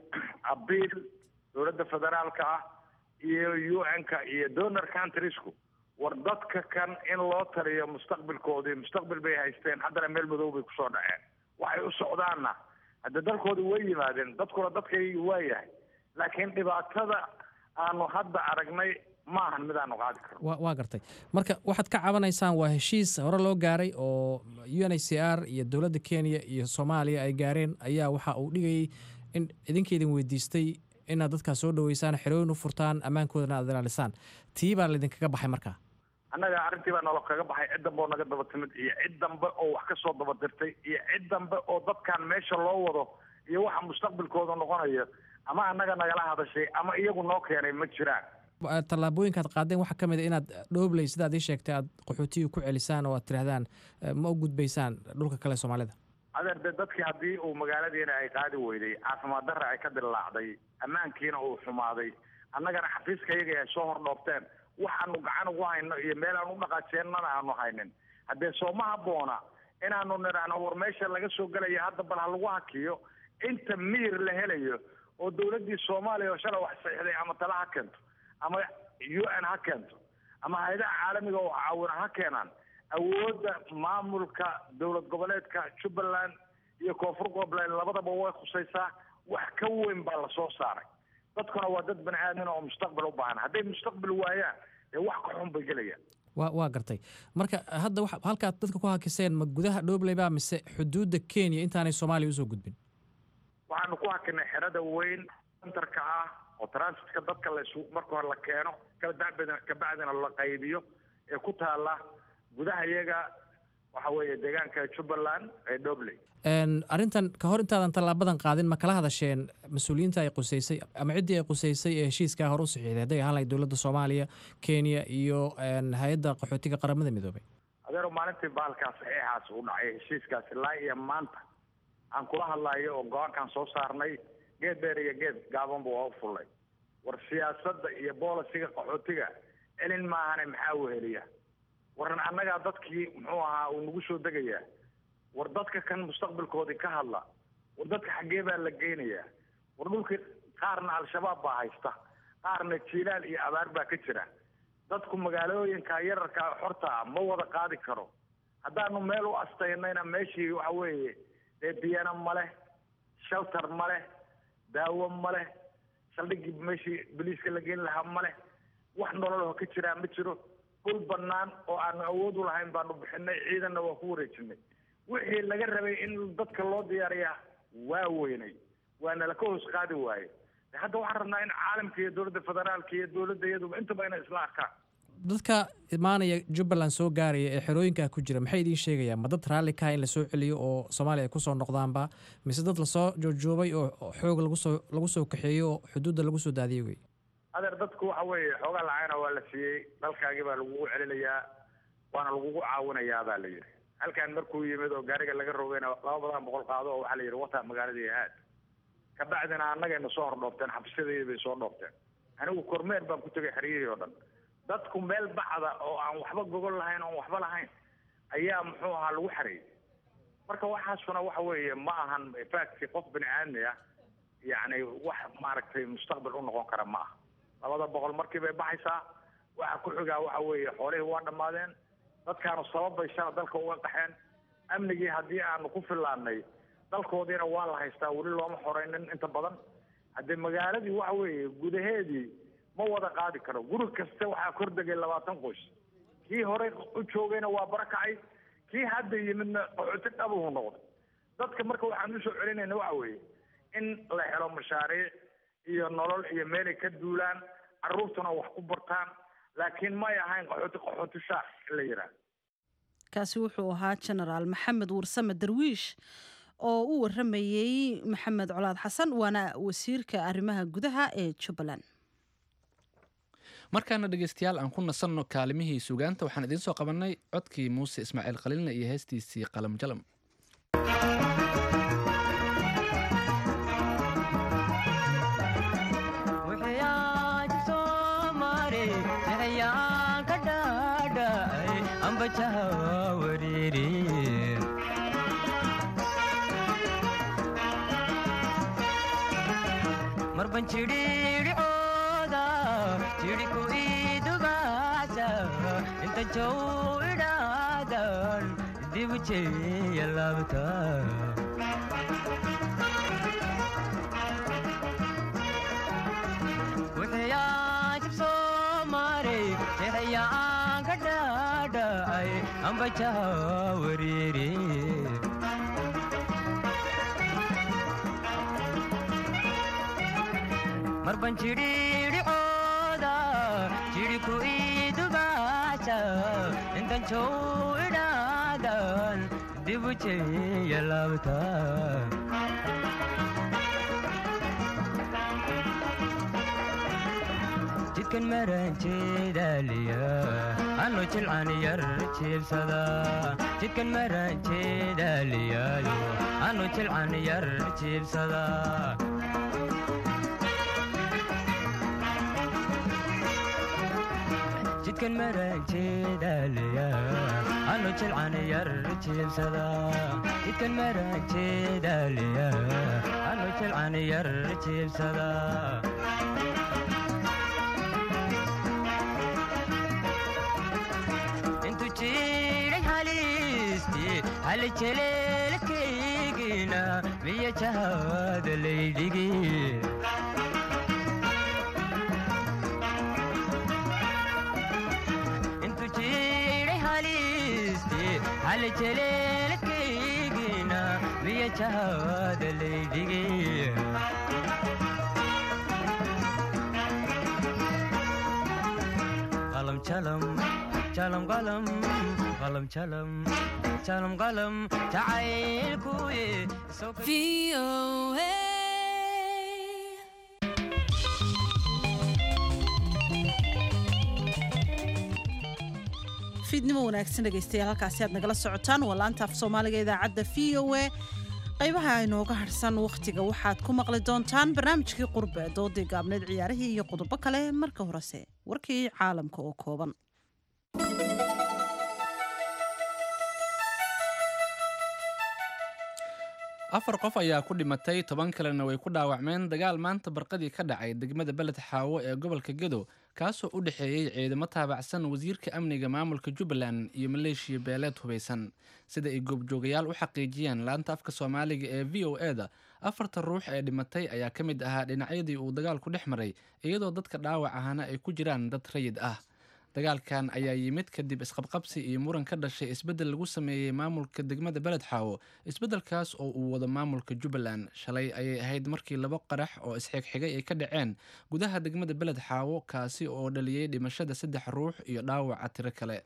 abiil dowladda federaalka ah iyo U N-ka iyo donor countriesku, war dadka kan in loo taliyo mustaqbilkoodii. Mustaqbil bay haysteen, haddana meel madow bay kusoo dhaceen. Waxay u socdaanna hadda dalkoodii way yimaadeen, dadkuna dadkaygi waa yahay, laakiin dhibaatada aanu hadda aragnay maahan mid aanu qaadi karno. Wa waa gartay. Marka waxaad ka cabanaysaan waa heshiis hore loo gaaray oo U N H C R iyo dowladda Kenya iyo Soomaaliya ay gaareen ayaa waxa uu dhigayay in idinka idin weydiistay inaad dadkaas soo dhaweysaan, xerooyin u furtaan, ammaankoodana aad ilaalisaan. Tii baa laydinkaga baxay markaa. Annaga arrintii baa nolo kaga baxay. Cid dambe oo naga daba timid iyo cid dambe oo wax ka soo daba dirtay iyo cid dambe oo dadkan meesha loo wado iyo waxa mustaqbilkooda noqonayo ama annaga nagala hadashay ama iyagu noo keenay ma jiraan. Tallaabooyinkaad qaadeen waxaa ka mid a inaad Dhoobley, sidaad ii sheegtay, aad qaxootiga ku celisaan oo aad tidhahdaan ma u gudbaysaan dhulka kale Soomaalida. Adeer, de dadkii haddii uu magaaladiina ay qaadi weyday, caafimaad darra ay ka dillaacday, ammaankiina uu xumaaday, annagana xafiiska iyaga ay soo hordhoobteen, waxaanu gacan ugu hayno iyo meel aan u dhaqaajeennana aanu haynin. Haddee sooma habboona inaanu nidhaahno war meesha laga soo gelaya hadda bal ha lagu hakiyo inta miyir la helayo oo dowladdii Soomaaliya oo shalay wax saxiixday ama tala ha keento ama U N ha keento ama hay-adaha caalamiga oo caawina ha keenaan. Awoodda maamulka dowlad goboleedka Jubbaland iyo Koonfur Goboleed labadaba way khusaysaa. Wax ka weyn baa lasoo saaray. Dadkuna waa dad bani aadmin oo mustaqbal u baahan. Hadday mustaqbal waayaan dee wax ka xun bay gelayaan. Waa waa gartay. Marka hadda waxa halkaad dadka ku hakiseen ma gudaha Dhobley baa mise xuduudda Kenya intaanay Soomaaliya usoo gudbin? Waxaanu ku hakinay xerada weyn centerka ah oo transitka dadka la isu marka hore la keeno kabacdina kabacdina la qaybiyo ee ku taala gudaha iyaga waxa weeye deegaanka Jubbaland ee Dhobley. Arrintan ka hor intaadan tallaabadan qaadin ma kala hadasheen mas-uuliyiinta ay quseysay ama ciddii ay quseysay ee heshiiskaa hore u saxiixday hadday ahaan lahayd dowladda Soomaaliya, Kenya iyo hay-adda qaxootiga qaramada midoobay? Adeero maalintii bahalkaas saxiixaas u dhacay heshiiskaasi ilaa iyo maanta aan kula hadlayo oo go-aankaan soo saarnay geed dheer iyo geed gaabanba waa u fullay. War siyaasadda iyo boolisiga qaxootiga celin maahane maxaa weheliya? Waran annagaa dadkii muxuu ahaa uu nagu soo degayaa. War dadka kan mustaqbalkoodii ka hadla. War dadka xaggee baa la geynayaa? War dhulkii qaarna Al-Shabaab baa haysta, qaarna jiilaal iyo abaar baa ka jira. Dadku magaalooyinka yararka xorta ah ma wada qaadi karo. Haddaanu meel u astaynayna meeshii waxa weeye dee biyana ma leh, shelter ma leh, daawo ma leh, saldhiggii meeshii boliiska la geyn lahaa ma leh, wax nololho ka jiraa ma jiro. Dhul bannaan oo aanu awood u lahayn baanu bixinay, ciidanna waa ku wareejinay. Wixii laga rabay in dadka loo diyaariyaa waa weynay, waana la ka hoos qaadi waaye. Hadda waxaan rabnaa in caalamka iyo dowladda federaalka iyo dowladda iyaduba intaba inay isla arkaan. Dadka imaanaya Jubbaland soo gaaraya ee xerooyinka ku jira maxay idiin sheegayaan? Ma dad raalli ka ah in lasoo celiyo oo Soomaaliya ay kusoo noqdaanba mise dad lasoo joogjoobay oo xoog lagu soo lagu soo kaxeeyo oo xuduudda lagu soo daadiyey wey? Adeer dadku waxa weeye xoogaa lacagna waa la siiyey, dalkaagii baa lagugu celinayaa waana lagugu caawinayaa baa la yidhi. Halkan markuu yimid oo gaariga laga rogayna laba badan boqol qaado oo waxaa la yidhi wataa magaaladii aad. Kabacdina annagayna soo hordhoofteen, xabsiyadeedii bay soo dhoofteen. Anigu kormeer baan ku tegay xeryihii oo dhan. Dadku meel bacda oo aan waxba gogol lahayn oon waxba lahayn ayaa muxuu ahaa lagu xareeyey. Marka waxaasuna waxa weeye ma ahan fact qof bini aadmi ah yacni wax maaragtay mustaqbal u noqon kara ma aha. Labada boqol markii bay baxaysaa, waxa ku xigaa waxa weeye xoolihii waa dhammaadeen. Dadkaanu sabab bay shala dalka uga qaxeen. Amnigii haddii aanu ku fillaannay dalkoodiina waa la haystaa, weli looma xoreynin inta badan. Haddii magaaladii waxa weeye gudaheedii ma wada qaadi karo. Guri kasta waxaa kor degay labaatan qoys. Kii horey u joogayna waa barakacay, kii hadda yimidna qaxooti dhabuhu noqday. Dadka marka waxaan usoo celinayna waxa weeye in la helo mashaariic iyo nolol iyo meelay ka duulaan, carruurtuna wax ku bartaan, laakiin may ahayn qaxooti qaxooti shaac in la yidhaahdo. Kaasi wuxuu ahaa Genaraal Maxamed Warsame Darwiish oo u waramayey Maxamed Colaad Xasan, waana wasiirka arrimaha gudaha ee Jubbaland. Markaana dhegeystayaal aan ku nasanno kaalimihii suugaanta. Waxaan idiin soo qabannay codkii Muuse Ismaaciil Khaliilna iyo heestiisii Qalam Jalam. Marban chidhidhicooda jidhku idubaasa intan jow idhaadan dibu jeeya laabta. Jidkan maran jeedaaliya anu jilcan yar jiibsada. Jidkan maran jeedaaliyaayo anu jilcan yar jiibsada. Jidkan maran jeedaaliya Anu jilcan yar jiibsada jidkan maran jeedaliya anu jilcan yar jiibsada. Intu jiray halisti hal jeleelkaygina miya jahada laydhigi. Intu jiray halisti hal jeleelkaygina miya jahada laydhigi. Qalam jalam jalam qalam qalam jalam jalam qalam jacaylkuye. V O A. Fiidnimo wanaagsan, dhegaystayaal. Halkaasi aad nagala socotaan waa laanta af Soomaaliga idaacadda V O A. Qaybaha inooga harsan wakhtiga waxaad ku maqli doontaan barnaamijkii Qurbe, doodii gaabneed, ciyaarihii iyo qodobo kale. Marka horese warkii caalamka oo kooban. Afar qof ayaa ku dhimatay, toban kalena way ku dhaawacmeen dagaal maanta barqadii ka dhacay degmada Beled Xaawo ee gobolka Gedo, kaasoo u dhexeeyey ciidamo taabacsan wasiirka amniga maamulka Jubbaland iyo maleeshiya beeleed hubaysan, sida ay goobjoogayaal u xaqiijiyeen laanta afka Soomaaliga ee V O E da. Afarta ruux ee dhimatay ayaa ka mid ahaa dhinacyadii uu dagaalku dhex maray, iyadoo dadka dhaawac ahana ay ku jiraan dad rayid ah. Dagaalkan ayaa yimid kadib isqabqabsi iyo muran ka dhashay isbeddel lagu sameeyey maamulka degmada Beled Xaawo, isbeddelkaas oo uu wado maamulka Jubbaland. Shalay ayay ahayd markii labo qarax oo isxigxigay ay ka dhaceen gudaha degmada Beled Xaawo, kaasi oo dhaliyey dhimashada saddex ruux iyo dhaawaca tiro kale.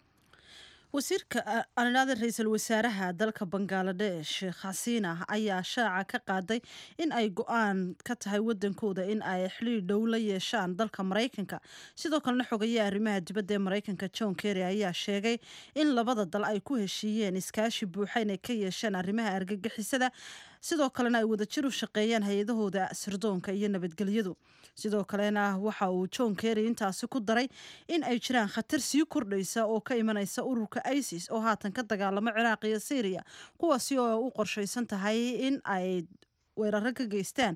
Wasiirka anidhaada ra-iisul wasaaraha dalka Bangaladesh Sheekh Xasiina ayaa shaaca ka qaaday in ay go-aan ka tahay wadankooda in ay xiliir dhow la yeeshaan dalka Maraykanka. Sidoo kalena xogayaha arrimaha dibadda ee Maraykanka John Kerry ayaa sheegay in labada dal ay ku heshiiyeen iskaashi buuxa inay ka yeeshaan arrimaha argagixisada, sidoo kalena ay wadajir u shaqeeyaan hay-adahooda sirdoonka iyo nabadgelyadu. Sidoo kalena waxa uu John Kerry intaasi ku daray in ay jiraan khatar sii kordhaysa oo ka imanaysa ururka ISIS oo haatan ka dagaalamo Ciraaq iyo Syriya, kuwaasi oo u qorshaysan tahay in ay weeraro ka geystaan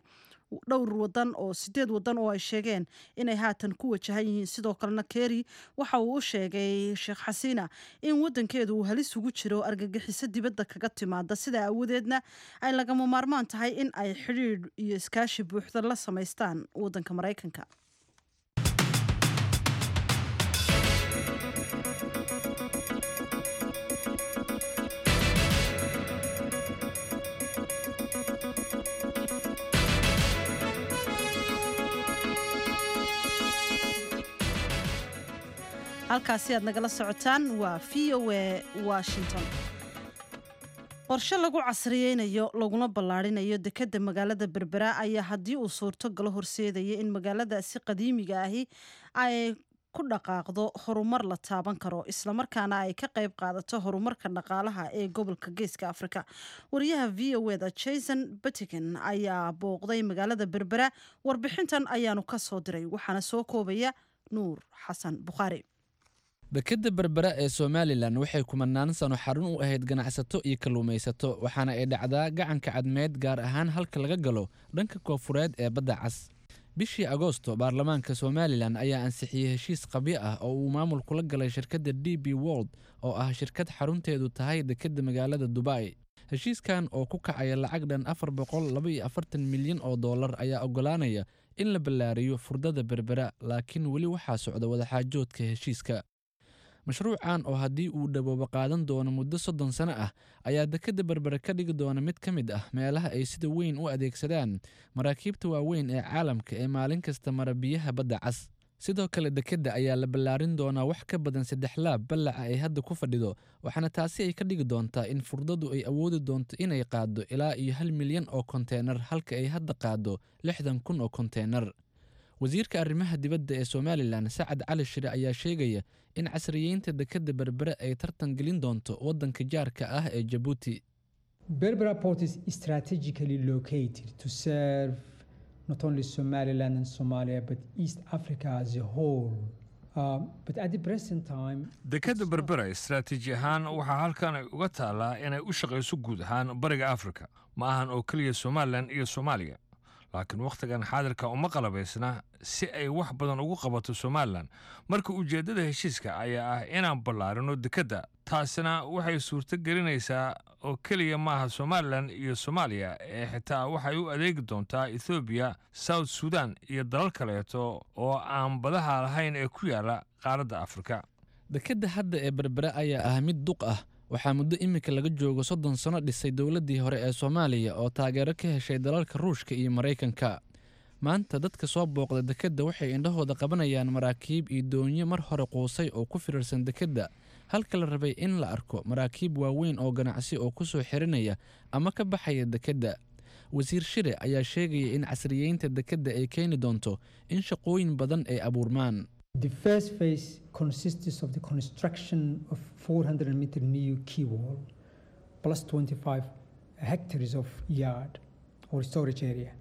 dhowr wadan oo sideed wadan oo ay sheegeen inay haatan ku wajahan yihiin. Sidoo kalena Kerry waxa uu u sheegay Sheekh Xasiina in wadankeedu uu halis ugu jiro argagixiso dibadda kaga timaada, sidaa awadeedna ay lagama maarmaan tahay in ay xidhiidh iyo iskaashi buuxda la samaystaan wadanka Maraykanka. Halkaasi aad nagala socotaan waa V O A Washington. Qorshe lagu casriyeynayo laguna ballaarinayo dekedda magaalada Berbera ayaa haddii uu suurto galo horseedaya in magaaladaasi qadiimiga ahi ay ku dhaqaaqdo horumar la taaban karo, islamarkaana ay ka qayb qaadato horumarka dhaqaalaha ee gobolka Geeska Afrika. Wariyaha V O E da Jason Buttiken ayaa booqday magaalada Berbera, warbixintan ayaanu ka soo diray, waxaana soo koobaya Nuur Xasan Bukhaari. Dekedda Berbera ee Somalilan waxay kumanaan sano xarun u ahayd ganacsato iyo kalluumaysato, waxaana ay dhacdaa gacanka Cadmeed, gaar ahaan halka laga galo dhanka koonfureed ee Badda Cas. Bishii Agoosto baarlamaanka Somalilan ayaa ansixiyey heshiis qabyo ah oo uu maamulku la galay shirkadda D P World, oo ah shirkad xarunteedu tahay dekedda magaalada Dubai. Heshiiskan oo ku kacaya lacag dhan afar boqol laba iyo afartan milyan oo dollar ayaa oggolaanaya in la ballaariyo furdada Berbera, laakiin weli waxaa socda wadaxaajoodka heshiiska. Mashruucan oo haddii uu dhaboobo qaadan doono muddo soddon sano ah ayaa dekedda Berbera ka dhigi doona mid ka mid ah meelaha ay sida weyn u adeegsadaan maraakiibta waaweyn ee caalamka ee maalin kasta mara biyaha Badda Cas. Sidoo kale dekedda ayaa la ballaarin doonaa wax ka badan saddex laab ballaca ay hadda ku fadhido, waxaana taasi ay ka dhigi doontaa in furdadu ay awoodi doonto inay qaaddo ilaa iyo hal milyan oo konteenar, halka ay hadda qaaddo lixdan kun oo konteenar. Wasiirka arrimaha dibadda ee Somalilan Sacad Cali Shire ayaa sheegaya in casriyeynta dekedda Berbere ay tartan gelin doonto waddanka jaarka ah ee Jabuuti. Berbera Port is strategically located to serve not only Somaliland and Somalia but East Africa as a whole. Dekadda Berbera istaraatiiji ahaan waxaa halkan ay uga taallaa inay u shaqayso guud ahaan Bariga Afrika, ma ahan oo keliya Somalilan iyo Soomaaliya, laakiin wakhtigan xaadirka uma qalabaysna si ay wax badan ugu qabato Somalilan. Marka ujeeddada heshiiska ayaa ah inaan ballaarino dekedda, taasina waxay suurto gelinaysaa oo keliya maaha Somalilan iyo Soomaaliya ee xitaa waxay u adeegi doontaa Ethoobiya, South Sudan iyo dalal kaleeto oo aan badaha lahayn ee ku yaala qaaradda Afrika. Dekedda hadda ee Berbera ayaa ah mid duq ah. Waxaa muddo iminka laga joogo soddon sano dhisay dowladdii hore ee Soomaaliya oo taageero ka heshay dalalka Ruushka iyo Maraykanka. Maanta dadka soo booqda dekedda waxay indhahooda qabanayaan maraakiib iyo doonyo mar hore quusay oo ku firirsan dekedda, halka la rabay in la arko maraakiib waaweyn oo ganacsi oo ku soo xirinaya ama ka baxaya dekedda. Wasiir Shire ayaa sheegaya in casriyeynta dekedda ay keeni doonto in shaqooyin badan ay abuurmaan. The first phase consists of the construction of four hundred meter new quay wall plus twenty-five hectares of yard or storage area.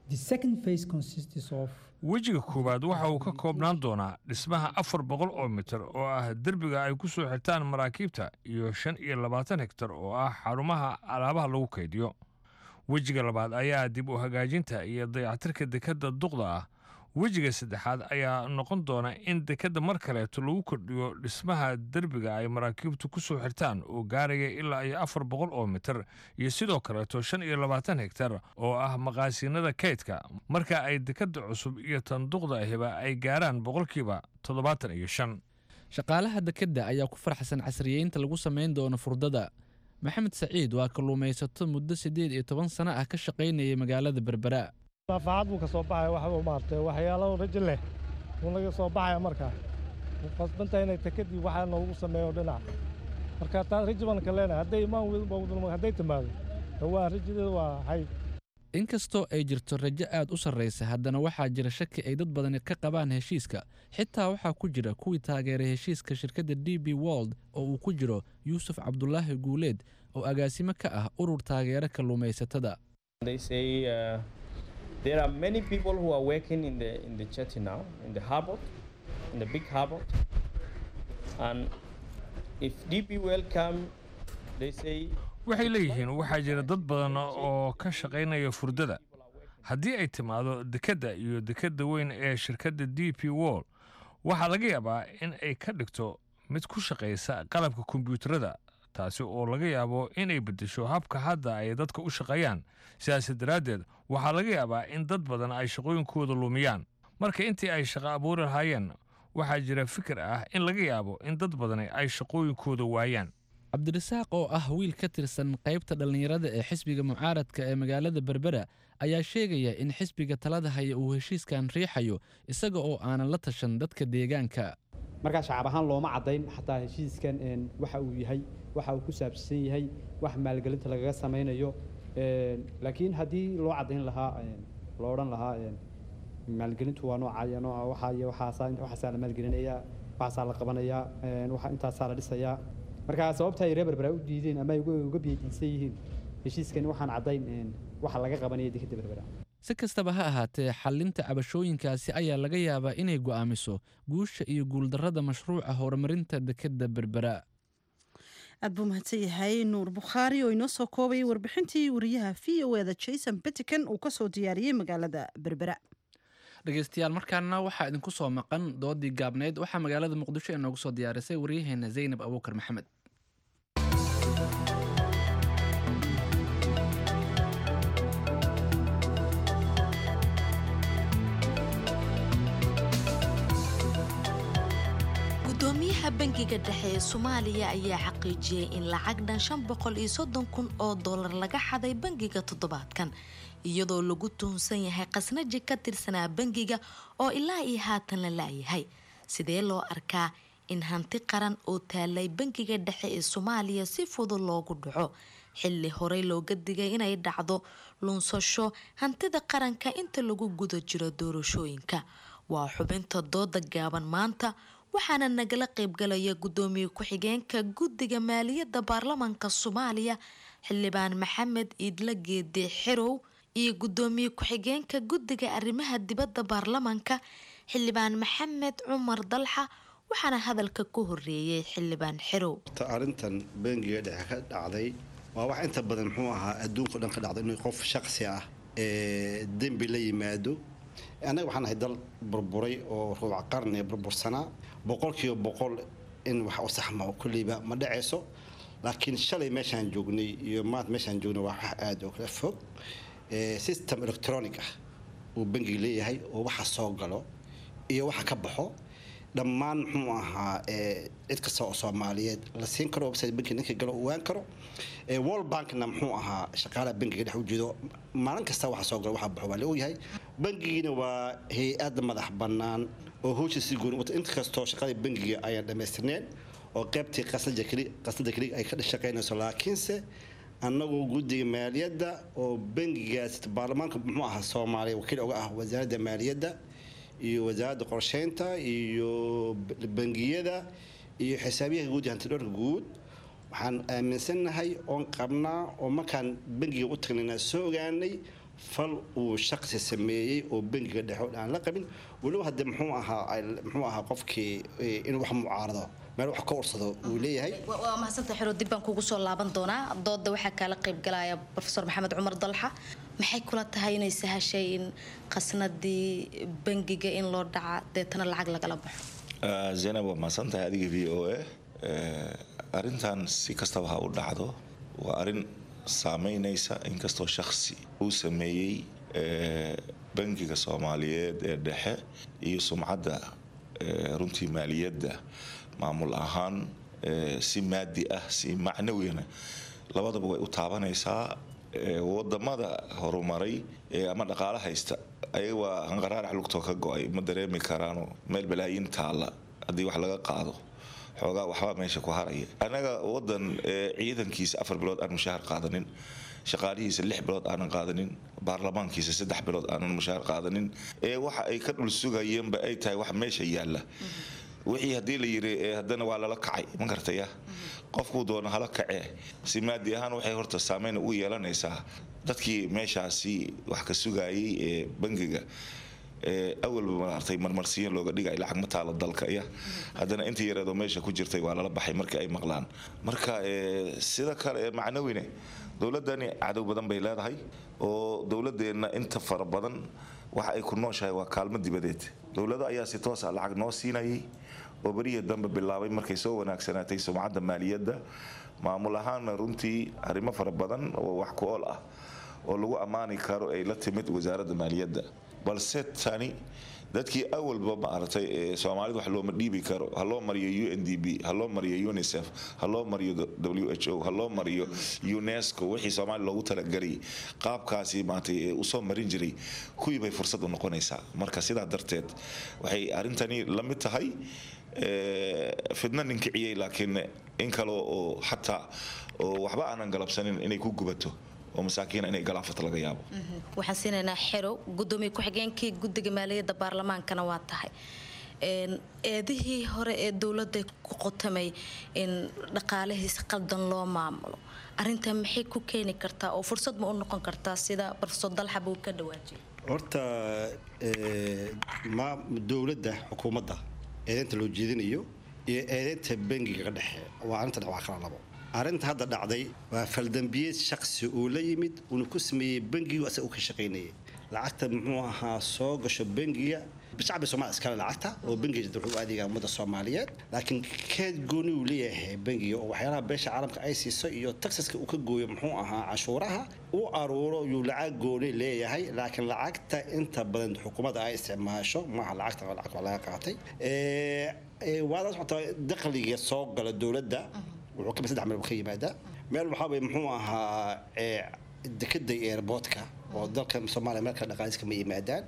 The second phase consists of Wejiga koowaad waxa uu ka koobnaan doonaa dhismaha afar boqol oo mitir oo ah derbiga ay ku soo xirtaan maraakiibta iyo shan iyo labaatan hektar oo ah xarumaha alaabaha lagu kaydiyo. Wejiga labaad ayaa dib u hagaajinta iyo dayactirka dekedda duqda ah. Wejiga saddexaad ayaa noqon doona in dekedda mar kaleeto lagu kordhiyo dhismaha derbiga ay maraakiibtu ku soo xirtaan oo gaaraya ilaa iyo afar boqol oo mitir iyo sidoo kaleeto shan iyo labaatan hektar oo ah maqaasiinada kaydka, marka ay dekedda cusub iyo tan duqda ahiba ay gaaraan boqolkiiba toddobaatan iyo shan. Shaqaalaha dekedda ayaa ku faraxsan casriyeynta lagu samayn doono furdada. Maxamed Saciid waa kalluumaysato muddo siddeed iyo toban sano ah ka shaqaynayay magaalada Berbera. Manfaacad buu ka soo baxaya, waxba maartay waxyaalo rajo leh buu naga soo baxaya. Markaa qasbanta inay tekadii waxaa noogu sameeyo dhinac, marka taa rajo baan ka leenahay. Hadday imaan, hadday timaado, waa rajadeeda waa hay. Inkastoo ay jirto rajo aad u sarraysa, haddana waxaa jira shaki ay dad badani ka qabaan heshiiska. Xitaa waxaa ku jira kuwii taageeray heshiiska shirkadda D P World oo uu ku jiro Yuusuf Cabdulaahi Guuleed oo agaasimo ka ah urur taageera kalluumaysatada. They say uh, there are many people who are working in the in the jetty now, in the harbor, in the big harbor. And if D P World come, they say Waxay leeyihiin waxaa jira dad badan oo ka shaqaynaya furdada. Haddii ay timaado dekedda iyo dekedda weyn ee shirkadda D P World, waxaa laga yaabaa in ay ka dhigto mid ku shaqaysa qalabka kombiyuutarada, taasi oo laga yaabo inay beddesho habka hadda ay dadka u shaqeeyaan. Sidaas daraaddeed waxaa laga yaabaa in dad badan ay shaqooyinkooda lumiyaan. Marka intii ay shaqo abuuri lahaayeen, waxaa jira fikir ah in laga yaabo in dad badani ay shaqooyinkooda waayaan. Cabdirasaaq oo ah wiil ka tirsan qaybta dhallinyarada ee xisbiga mucaaradka ee magaalada Berbera ayaa sheegaya in xisbiga talada haya uu heshiiskan riixayo isaga oo aanan la tashan dadka deegaanka. Markaa shacab ahaan looma caddayn xataa heshiiskan waxa uu yahay, waxa uu ku saabsan yahay, wax maalgelinta lagaga samaynayo. Laakiin haddii loo caddayn lahaa, loo odhan lahaa maalgelintu waa noocaya, nooca waxaa iyo waxaasaa, waxaasaa la maalgelinayaa, waxaasaa la qabanayaa, waxa intaasaa la dhisayaa. Marka sababta ay reer Berbera u diideen ama ay uga biyadiisan yihiin heshiiskan, waxaan caddayn waxa laga qabanaya dekadda Berbera. Si kastaba ha ahaatee, xallinta cabashooyinkaasi ayaa laga yaabaa inay go'aamiso guusha iyo guuldarrada mashruuca horumarinta dekedda Berbera. Aad buu mahadsan yahay Nuur Bukhaari oo inoo soo koobayay warbixintii wariyaha V O E da Jason Pettican uu kasoo diyaariyey magaalada Berbera. Dhegeystayaal, markaana waxaa idinku soo maqan doodii gaabneyd. Waxaa magaalada Muqdisho inoogu soo diyaarisay waryaheena Zaynab Abuukar Maxamed. Gudoomiyaha Bangiga Dhexe ee Soomaaliya ayaa xaqiijiyey in lacag dhan shan boqol iyo soddon kun oo dollar laga xaday bangiga toddobaadkan, iyadoo lagu tuhunsan yahay qasnaji ka tirsanaa bangiga oo ilaa iyo haatan la laayahay. Sidee loo arkaa in hanti qaran oo taalay Bangiga Dhexe ee Soomaaliya si fudud loogu dhaco, xilli horey looga digay inay dhacdo lunsasho hantida qaranka inta lagu guda jiro doorashooyinka? Waa xubinta dooda gaaban maanta, waxaana nagala qaybgalaya gudoomiye ku-xigeenka guddiga maaliyadda baarlamaanka Soomaaliya, xildhibaan Maxamed Iidla Geede Xerow, iyo gudoomiye ku-xigeenka guddiga arrimaha dibadda baarlamaanka, Xildhibaan Maxamed Cumar Dalxa, waxaana hadalka ku horeeyey Xildhibaan Xerow. Arrintan bangiga dhexe ka dhacday waa wax inta badan muxuu ahaa adduunka dhan ka dhacday, inuu qof shaqsi ah ee dembi la yimaado. Annaga waxaan ahay dal burburay oo rubuc qarni burbursanaa, boqolkiiba boqol in wax u saxma oo kulleyba ma dhacayso. Laakiin shalay meeshaan joognay iyo maanta meeshaan joognay waa wax aada oo kala fog. System electronic ah uu bangiga leeyahay oo waxa soo galo iyo waxa ka baxo dhammaan muxuu ahaa cid kasta oo Soomaaliyeed la siin karo, website bankiga ninka galo ogaan karo. World Bankna muxuu ahaa shaqaalaha bankiga dhex ujeedo, maalin kasta waxa soo galo waxa baxo waa la ogyahay. Bankigiina waa hay-ad madax bannaan oo howsha si gooni wata, inkastoo shaqadii bankiga ayaan dhammaystirneen oo qaybtii qasnada keli qasnada keli ay ka shaqaynayso. Laakiinse annagu guddiga maaliyadda oo bankigaas baarlamaanka muxuu ahaa Soomaaliya wakiil uga ah wasaaradda maaliyadda iyo wasaaradda qorsheynta iyo bangiyada iyo xisaabiyaha guud iyo hantidhowrka guud, waxaan aaminsannahay oon qabnaa oo markaan bangiga u tagnayna soo ogaanay fal uu shaqsi sameeyey oo bangiga dhexe aan la qabin. Weliba haddee muxuu ahaa muxuu ahaa qofkii inuu wax mucaarado meel wax ka ursado uu leeyahay. Waa mahadsantahay Xero, dib baan kugu soo laaban doonaa. Dooda waxaa kaala qayb galaya Professor Maxamed Cumar Dalxa. Maxay kula tahay inay sahashay in qasnadii bangiga in loo dhaca deetana lacag lagala baxo? Zaynab, waa mahadsan tahay adiga V O A. Arrintan si kastaba ha u dhacdo waa arrin saameynaysa, inkastoo shakhsi uu sameeyey bangiga Soomaaliyeed ee dhexe iyo sumcadda runtii maaliyadda maamul ahaan, si maadi ah si macnawiyana labadaba way u taabanaysaa. Wadamada horumaray ama dhaqaale haysta ayaga waa hanqaraarax lugtoo ka go-ay, ma dareemi karaano meel balaayiin taalla haddii wax laga qaado xoogaa waxbaa meesha ku haraya. Annaga wadan ciidankiisa afar bilood aan mushaahar qaadanin, shaqaalihiisa lix bilood aanan qaadanin, baarlamaankiisa saddex bilood aanan mushaahar qaadanin, ee waxa ay ka dhul sugayeenba ay tahay wax meesha yaalla. Wixii haddii la yiri haddana waa lala kacay, ma garataya, qofkuu doono hala kacee, si maadi ahaan waxay horta saameyn ugu yeelanaysaa dadkii meeshaasi wax ka sugayay ee bangiga awalba maartay marmarsiin looga dhigay lacag ma taalo dalka, iya haddana intii yareedoo meesha ku jirtay waa lala baxay markii ay maqlaan. Marka sida kale macnawine dowladani cadow badan bay leedahay, oo dowladeenna inta fara badan waxa ay ku nooshahay waa kaalmo dibadeed. Dowlado ayaa si toos ah lacag noo siinayay oo berihii dambe bilaabay markay soo wanaagsanaatay sumcadda maaliyadda maamul ahaanna runtii arrimo fara badan oo wax ku ool ah oo lagu ammaani karo ay la timid wasaaradda maaliyadda. Balse tani dadkii awalba maaragtay Soomaalida wax looma dhiibi karo, ha loo mariyo U N D B, ha loo mariyo UNICEF, ha loo mariyo W H O, ha loo mariyo UNESCO, wixii Soomaali loogu talagalay qaabkaasi maaragtay usoo marin jiray kuwii bay fursad u noqonaysaa. Marka sidaa darteed waxay arrintani la mid tahay fidna ninkiciyey, laakiin in kale oo xataa oo waxba aanan galabsanin inay ku gubato oo masaakiin inay galaafato laga yaabo. Waxaan siinaynaa Xerow, gudoomiye ku-xigeenkii guddiga maaliyadda baarlamaankana waa tahay. Eedihii hore ee dowladda ku qotamay in dhaqaalihiis qaldan loo maamulo, arrintan maxay ku keeni kartaa oo fursad ma u noqon kartaa sida Professor Dalxa buu ka dhawaajiyay? Horta ma dowladda xukuumadda eedeynta loo jeedinayo iyo eedeynta bangiga ka dhexe waa arrinta waa kala labo. Arrinta hadda dhacday waa faldambiyeed shaqsi uu la yimid uuna ku sameeyey bangigu asaga uu ka shaqaynayay. Lacagta muxuu ahaa soo gasho bangiga shacbi Soomaali iskale lacagta oo bangiga wuxuu u adeegaa ummadda Soomaaliyeed, laakiin keed gooni uu leeyahay bangiga oo waxyaalaha beesha caalamka ay siiso iyo taxaska uu ka gooyo muxuu ahaa canshuuraha uu aruuro yuu lacag gooni leeyahay. Laakiin lacagta inta badan xukuumadda ay isticmaasho maaha lacagta lacag laga qaatay. Waa la socotaa dakhliga soo gala dowladda wuxuu ka saddex meel ka yimaadaa. Meel waxaa way muxuu ahaa dekada airportka oo dalka Soomaaliya meel kale dhaqaaliska ma yimaadaan.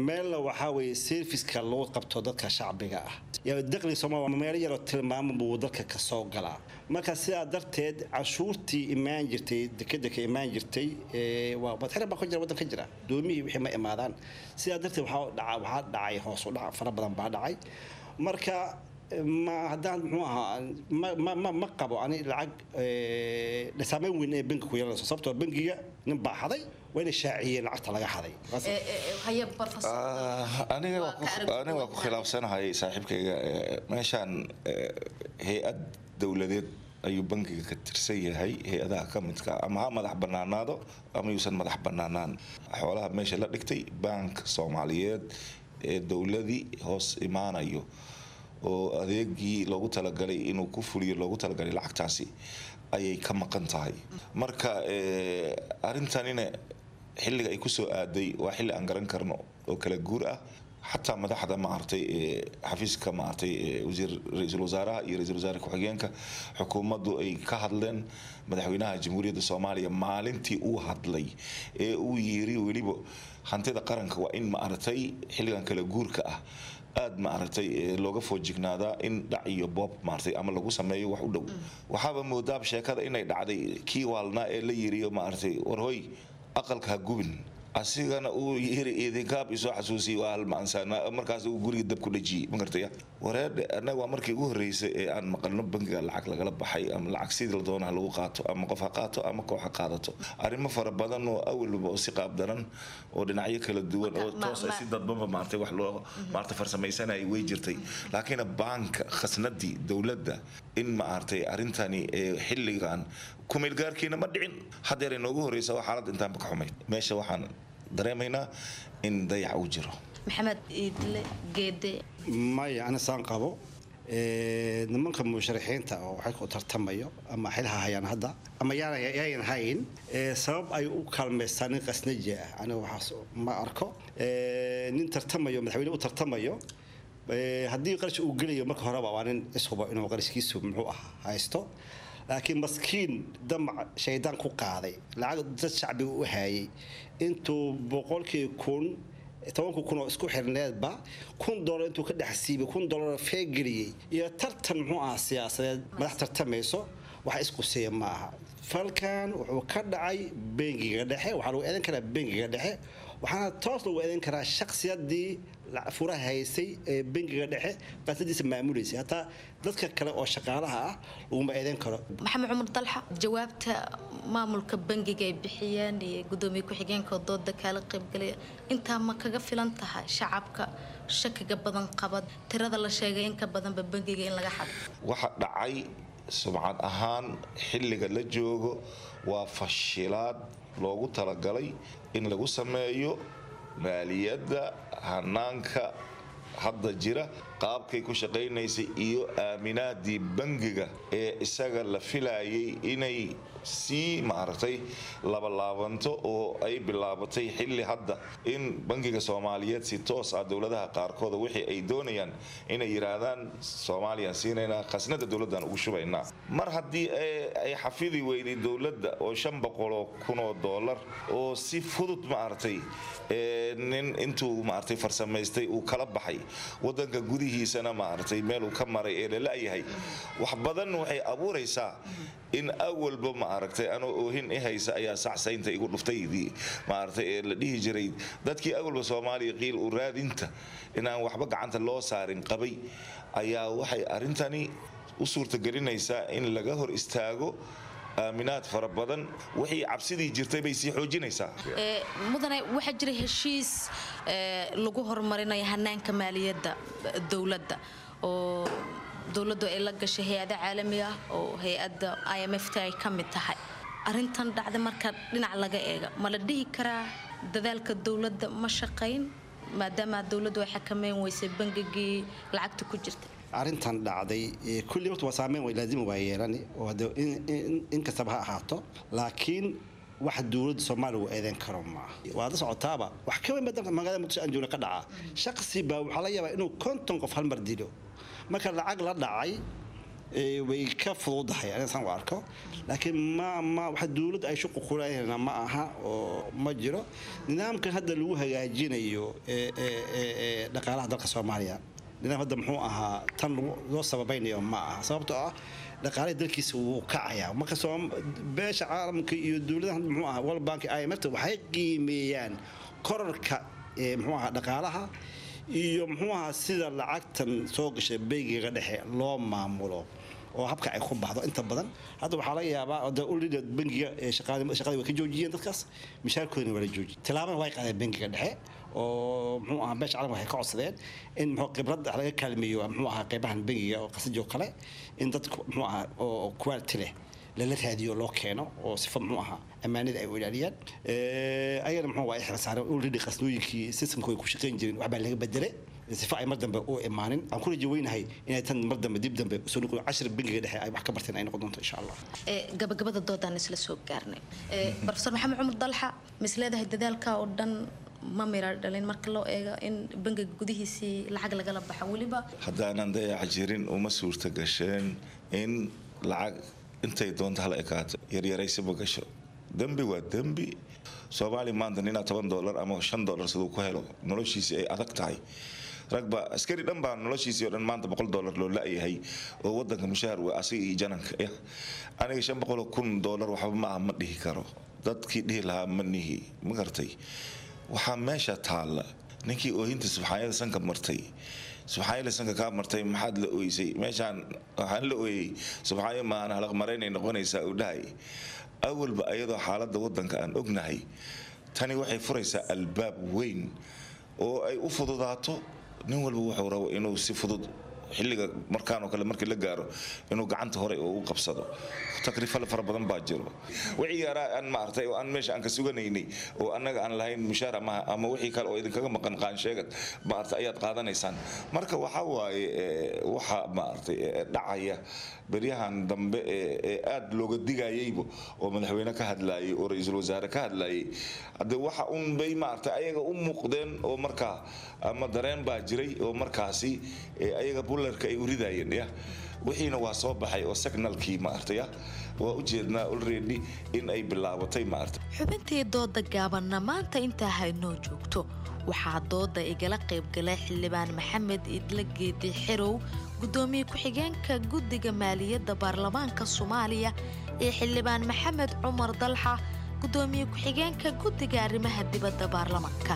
Meelna waxaa weeye serviceka loo qabto dadka shacbiga ah, yaa dakhliga Soomaaliya meel yaroo tilmaamo buu dalka ka soo galaa. Marka sidaa darteed canshuurtii imaan jirtay dekada ka imaan jirtay waa badxira baa ku jira waddanka jira doomihii wixii ma imaadaan. Sidaa darteed waxaa dhaca waxaa dhacay hoos u dhac fara badan baa dhacay. Marka Ma haddaan muxuu ahaa ma ma ma ma qabo ani lacag saameyn weyn ee bangi ku yeelanayso, sababtoo bangiga nin baa xaday, waa inay shaaciyeen lacagta laga xaday. Aniga aniga waa ku khilaafsanahay saaxiibkayga. Meeshaan hay-ad dowladeed ayuu bangiga ka tirsan yahay, hay-adaha ka midka ama ha madax banaanaado ama yuusan madax banaanaan. Xoolaha meesha la dhigtay bank Soomaaliyeed ee dowladii hoos imaanayo oo adeegii loogu talagalay inuu ku fuliyo loogu talagalay lacagtaasi ayay ka maqan tahay. Marka arrintanina xilliga ay kusoo aaday waa xilli aan garan karno oo kala guur ah. Xataa madaxda maaragtay xafiiska maaragtay wasiir ra-iisul wasaaraha iyo ra-iisul wasaare ku-xigeenka xukuumaddu ay ka hadleen. Madaxweynaha Jamhuuriyadda Soomaaliya maalintii uu hadlay ee uu yiri weliba hantida qaranka waa in maaragtay xilligan kala guurka ah aada maaragtay looga foojignaadaa in dhac iyo boob maaragtay ama lagu sameeyo wax u dhow. Waxaaba moodaaba sheekada inay dhacday kii waalnaa ee la yiriyo maaragtay warhoy aqalka ha gubin, asigana uu yiri idinkaab isoo xasuusiyay waa halmaansaana, markaas uu guriga dab ku dhajiyey. Ma gartaya wareedhe, annaga waa markii ugu horreysay ee aan maqalno bangiga lacag lagala baxay ama lacag sidii la doonaha lagu qaato ama qof ha qaato ama koox ha qaadato. Arrimo fara badan oo awalba oo si qaab daran oo dhinacyo kala duwan oo toos ay si dadbanba maartay wax loo maartay farsamaysanayay way jirtay, laakiin baanka khasnadii dowladda in maartay arrintani ee xilligan kumeelgaarkiina ma dhicin, haddeer inoogu horreysa waa xaalad intaanba ka xumayd. Meesha waxaan dareemaynaa in dayac uu jiro. Maxamed Iidle Geede. Maya, ana saan qabo, nimanka musharaxiinta oo waxay ku tartamayo ama xilha hayaan hadda ama yaayan hayn, sabab ay u kaalmaystaan nin qasnaji ah aniga waxaas ma arko. Nin tartamayo madaxweyne u tartamayo haddii qarash uu gelayo marka horeba waa nin ishubo inuu qarashkiisu muxuu ah haysto, laakiin maskiin damac shaydaan ku qaaday lacag dad shacbiga u hayay intuu boqolkii kun tobanka kun oo isku xirneedba kun doolar intuu ka dhex siibay kun doolar feegeliyey iyo tartan muxuu ahaa siyaasadeed madax tartamayso wax isquseeya ma aha. Falkan wuxuu ka dhacay bangiga dhexe, waxaa lagu eedan karaa bangiga dhexe, waxaana toos lagu eedan karaa shaksiyadii furaha haysay ee bangiga dhexe qaasadiisa maamulaysay, hataa dadka kale oo shaqaalaha ah laguma eedan karo. Maxamed Cumar Dalxa, jawaabta maamulka bangiga ay bixiyeen iyo gudoomiye ku-xigeenka dooda kaala qaybgalaya intaa ma kaga filan tahay shacabka shakiga badan qaba tirada la sheegay in ka badanba bangiga in laga xado? Waxa dhacay sumcad ahaan xilliga la joogo waa fashilaad loogu talagalay in lagu sameeyo maaliyadda hanaanka hadda jira qaabkay ku shaqaynaysay iyo aaminaadii bangiga ee isaga la filayay inay sii maaragtay labalaabanto oo ay bilaabatay xilli hadda in bangiga Soomaaliyeed si toos ah dowladaha qaarkooda wixii ay doonayaan inay yiraahdaan Soomaaliya siinaynaa khasnada dowladdan ugu shubaynaa. Mar haddii ay xafidi weyday dowladda oo shan boqol oo kun oo doolar oo si fudud maaragtay nin intuu maaragtay farsamaystay uu kala baxay wadanka gudihiisana maaragtay meel uu ka maray ee la la'yahay, wax badan waxay abuuraysaa in awalba maaragtay anoo oohin i haysa ayaa sacsaynta igu dhuftaydii maaragtay ee la dhihi jiray dadkii awalba Soomaaliya qiil u raadinta inaan waxba gacanta loo saarin qabay ayaa waxay arrintani u suurtagelinaysaa in laga hor istaago aaminaad fara badan, wixii cabsidii jirtay bay sii xoojinaysaa. Mudane, waxaa jira heshiis lagu horumarinayo hanaanka maaliyadda dowladda oo dowladdu ay la gashay hay-ada caalami ah oo hay-adda I M F t ay ka mid tahay. Arrintan dhacda marka dhinac laga eega ma la dhihi karaa dadaalka dowladda ma shaqayn maadaama dowladdu ay xakameyn weysay bangigii lacagta ku jirtay? Arrintan dhacday kulli waqti waa saameyn way laazim waa yeelani oo hada in kastaba ha ahaato, laakiin wax dowladda Soomaaliya uu eedeyn karo ma waa la socotaaba. Wax ka weyn badan magaalada Muqdisho aan joogno ka dhaca shakhsi baa waxaa laga yaabaa inuu konton qof hal mar dilo. Marka lacag la dhacay way ka fududahay aniga saan u arko, laakiin ma ma waxa dowladda ay shuqul ku leedahay ma aha oo ma jiro nidaamkan hadda lagu hagaajinayo ee dhaqaalaha dalka Soomaaliya. Nidaam hadda muxuu ahaa tan loo sababaynayo ma aha, sababtoo ah dhaqaalaha dalkiisa wuu kacayaa. Marka beesha caalamka iyo dowladaha muxuu ahaa World Bank I M F waxay qiimeeyaan kororka muxuu ahaa dhaqaalaha Iyo muxuu ahaa sida lacagtan soo gashay bangiga dhexe loo maamulo oo habka ay ku baxdo. Inta badan hadda waxaa laga yaabaa de ulida bangiga shaqadii way ka joojiyeen dadkaas, mishaarkoodina waa la joojiyey. Tilaabana way qaadeen bangiga dhexe oo muxuu ahaa beesha caalamka waxay ka codsadeen in muxuu khibrad laga kaalmeeyo muxuu ahaa qeybahan bangiga oo qasajo kale, in dadku muxuu ahaa oo quality leh lala raadiyo, loo keeno oo sifa muxuu ahaa ammaanada ay u ilaaliyaan. Ayagana muxuu waa xil saareen already qasnooyinkii systemka way ku shaqayn jireen waxbaa laga bedelay sifa ay mar dambe u imaanin. Aan ku rajo weynahay inay tan mar dambe dib dambe usoo noqon, cashir bangiga dhexe ay wax ka barteen ay noqon doonto insha Allah. Gabagabada doodaan isla soo gaarnay. Professor Maxamed Cumar Dalxa, mis leedahay dadaalka oo dhan ma mira dhalin marka loo eego in bangiga gudihiisii lacag lagala baxo weliba? Haddaanan dayac jirin uma suurta gasheen in lacag intay doonta hala ekaato yaryaraysaba gasho. Dembi waa dembi. Soomaaliya maanta ninaa toban doolar ama shan doolar siduu ku helo noloshiisii ay adag tahay. Ragba askari dhan baa noloshiisii oo dhan maanta boqol doolar loo la-yahay oo wadanka mushaar waa asiga iyo jananka. Aniga shan boqol oo kun doolar waxba ma aha ma dhihi karo, dadkii dhihi lahaa ma nihi, ma gartay? Waxaa meesha taalla ninkii oohinta subxaanyada sanka martay, subxaanyada sanka kaa martay, maxaad la ooysay? Meeshaan waxaan la ooyey subxaanyo maahan, halaq maraynay noqonaysaa uu dhahay. Awalba ayadoo xaaladda wadanka aan ognahay, tani waxay furaysaa albaab weyn oo ay u fududaato nin walba wuxuu rabo inuu si fudud xilliga markaan oo kale markii la gaaro inuu gacanta hore oo u qabsado. Takrifal fara badan baa jiro. Wixii yaraa aan maartay oo aan meesha aan ka suganaynay oo annaga aan lahayn mushaar ama ama wixii kale oo idinkaga maqan qaansheegad maartay ayaad qaadanaysaan. Marka waxa waaye waxa maartay dhacaya beryahan dambe ee aad looga digayayba oo madaxweyne ka hadlayay oo ra'iisul wasaare ka hadlayay, hadde waxa un bay maartay ayaga u muuqdeen oo markaa ama dareen baa jiray oo markaasi ayaga bularka ay u ridayeen ya wixiina waa soo baxay oo signalkii maartay waa u jeednaa already in ay bilaabatay maartay. Xubintii dooda gaabanna maanta intaa haynoo joogto. Waxaa dooda igala qaybgalay xildhibaan Maxamed Idle Geedi Xirow, gudoomiye ku-xigeenka guddiga maaliyadda baarlamaanka Soomaaliya, iyo xildhibaan Maxamed Cumar Dalxa, gudoomiye ku-xigeenka guddiga arrimaha dibadda baarlamaanka.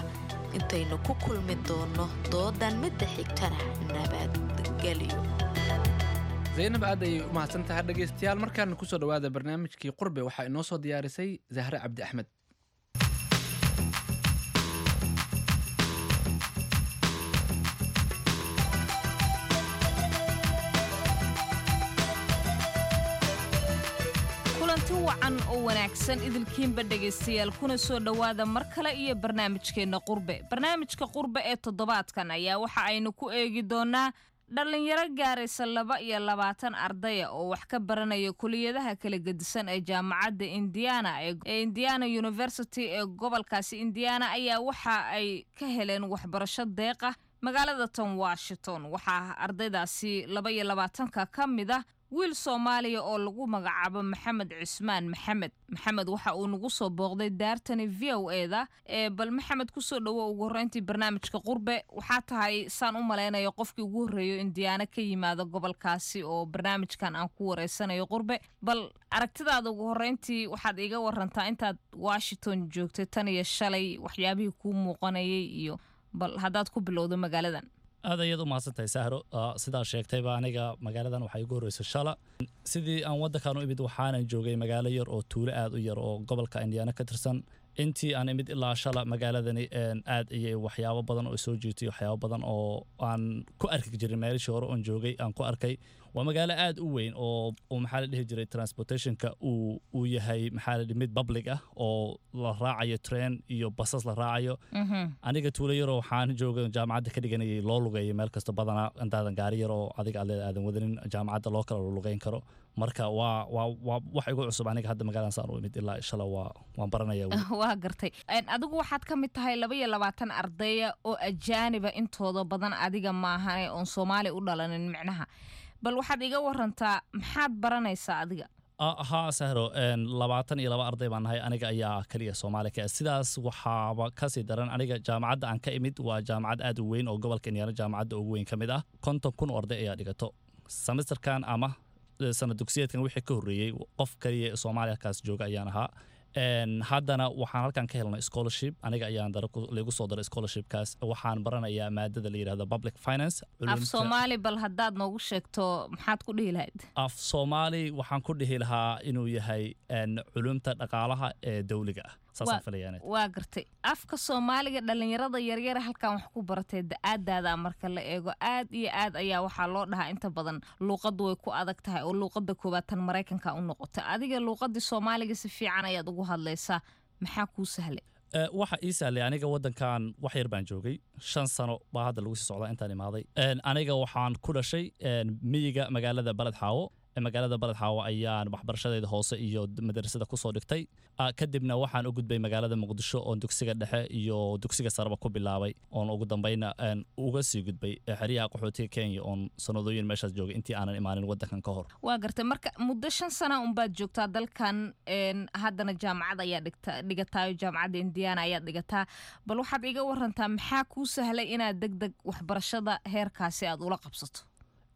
Intaynu ku kulmi doono doodan midda xigtana, nabadgelyo. Zaynab aad ayay u mahadsan tahay. Dhegaystayaal, markaana kusoo dhawaada barnaamijkii Qurbe. Waxaa inoo soo diyaarisay Zahre Cabdi Axmed. Kulanti wacan oo wanaagsan idilkiinba dhegaystayaal, kuna soo dhowaada mar kale iyo barnaamijkeenna Qurbe. Barnaamijka Qurbe ee toddobaadkan ayaa waxa aynu ku eegi doonaa dhallinyaro gaaraysa laba iyo labaatan ardaya oo wax ka baranaya kuliyadaha kala gedisan ee jaamacadda Indiana ee Indiana University ee gobolkaasi Indiana ayaa waxa ay ka heleen waxbarasho deeqa magaalada tan Washington. Waxaa ardaydaasi laba iyo labaatanka ka mid ah wiil Soomaaliya oo lagu magacaabo Maxamed Cusmaan Maxamed. Maxamed waxa uu nagu soo booqday daartani V O E-da ee bal Maxamed, kusoo dhawo ugu horreyntii barnaamijka Qurbe. Waxaa tahay saan u malaynayo qofkii ugu horreeyo Indiana ka yimaada gobolkaasi oo barnaamijkan aan ku wareysanayo Qurbe. Bal aragtidaada ugu horreyntii waxaad iiga warantaa intaad Washington joogtay tan iyo shalay waxyaabihii kuu muuqanayay iyo bal haddaad ku bilowdo magaaladan. Aad ayaad u mahadsantahay Sahro. Sidaa sheegtayba aniga magaaladan waxaa igu horreysay shala. Sidii aan waddankan u imid waxaanan joogay magaalo yar oo tuulo aad u yar oo gobolka Indiana ka tirsan. Intii aan imid ilaa shala magaaladani aad ayay waxyaabo badan oo soo jiitay, waxyaabo badan oo aan ku arki jirin meelishii hore oon joogay aan ku arkay. Waa magaalo aad u weyn oo oo maxaa la dhihi jiray transportationka uu uu yahay maxaa la dhihi mid public ah oo la raacayo train iyo basas la raacayo. Aniga tuulo yaroo waxaan joogay jaamacadda ka dhiganayay loo lugeeyo meel kasta badanaa intaadan gaari yar oo adiga aad leedahay aadan wadanin jaamacadda loo kala lugeyn karo. Marka waa waa waa wax igu cusub aniga hadda magaaladan saan u imid ilaa shala waa waan baranaya. Waa gartay. Adigu waxaad ka mid tahay laba iyo labaatan ardaya oo ajaaniba intooda badan, adiga maahane oon Soomaali u dhalanin micnaha. Bal waxaad iga warantaa maxaad baranaysaa adiga? Haa Sahro, labaatan iyo laba arday baan nahay, aniga ayaa kaliya Soomaali ka ah. Sidaas waxaaba kasii daran aniga jaamacadda aan ka imid waa jaamacad aad u weyn oo gobolka Indiana jaamacadda ugu weyn ka mid ah. Konton kun oo arday ayaa dhigato semesterkan ama sanad dugsiyeedkan wixii ka horreeyey qof kaliya ee Soomaaliya kaas jooga ayaan ahaa. Haddana waxaan halkan ka helnay scholarship. Aniga ayaan laigu soo daray scholarshipkaas. Waxaan baranayaa maadada la yidhahdo public finance. Af Soomaali bal haddaad noogu sheegto, maxaad ku dhihi lahayd? Af Soomaali waxaan ku dhihi lahaa inuu yahay culumta dhaqaalaha ee dowliga ah. Saasaan filayaa. Waa gartay. Afka Soomaaliga dhalinyarada yaryara halkan wax ku baratay da-aadaada marka la eego, aad iyo aad ayaa waxaa loo dhahaa inta badan luuqaddu way ku adag tahay oo luuqadda koowaad tan Maraykanka u noqotay. Adiga luuqadii Soomaaliga si fiican ayaad ugu hadlaysaa, maxaa kuu sahlay? Waxa ii sahlay, aniga waddankan wax yar baan joogay, shan sano baa hadda lagu sii socdaa intaan imaaday. Aniga waxaan ku dhashay miyiga magaalada Baled Xaawo. Magaalada Baled Xaawo ayaan waxbarashadeeda hoose iyo madrasada kusoo dhigtay. Kadibna waxaan u gudbay magaalada Muqdisho oon dugsiga dhexe iyo dugsiga sareba ku bilaabay, oon ugu dambayna uga sii gudbay xeryaha qaxootiga Kenya, oon sanadooyin meeshaas joogay intii aanan imaanin waddankan ka hor. Waa gartay. Marka muddo shan sana unbaad joogtaa dalkan, haddana jaamacad ayaa dhigta dhigataayo, jaamacadda Indiana ayaad dhigataa. Bal waxaad iga warantaa maxaa kuu sahlay inaad deg deg waxbarashada heerkaasi aad ula qabsato?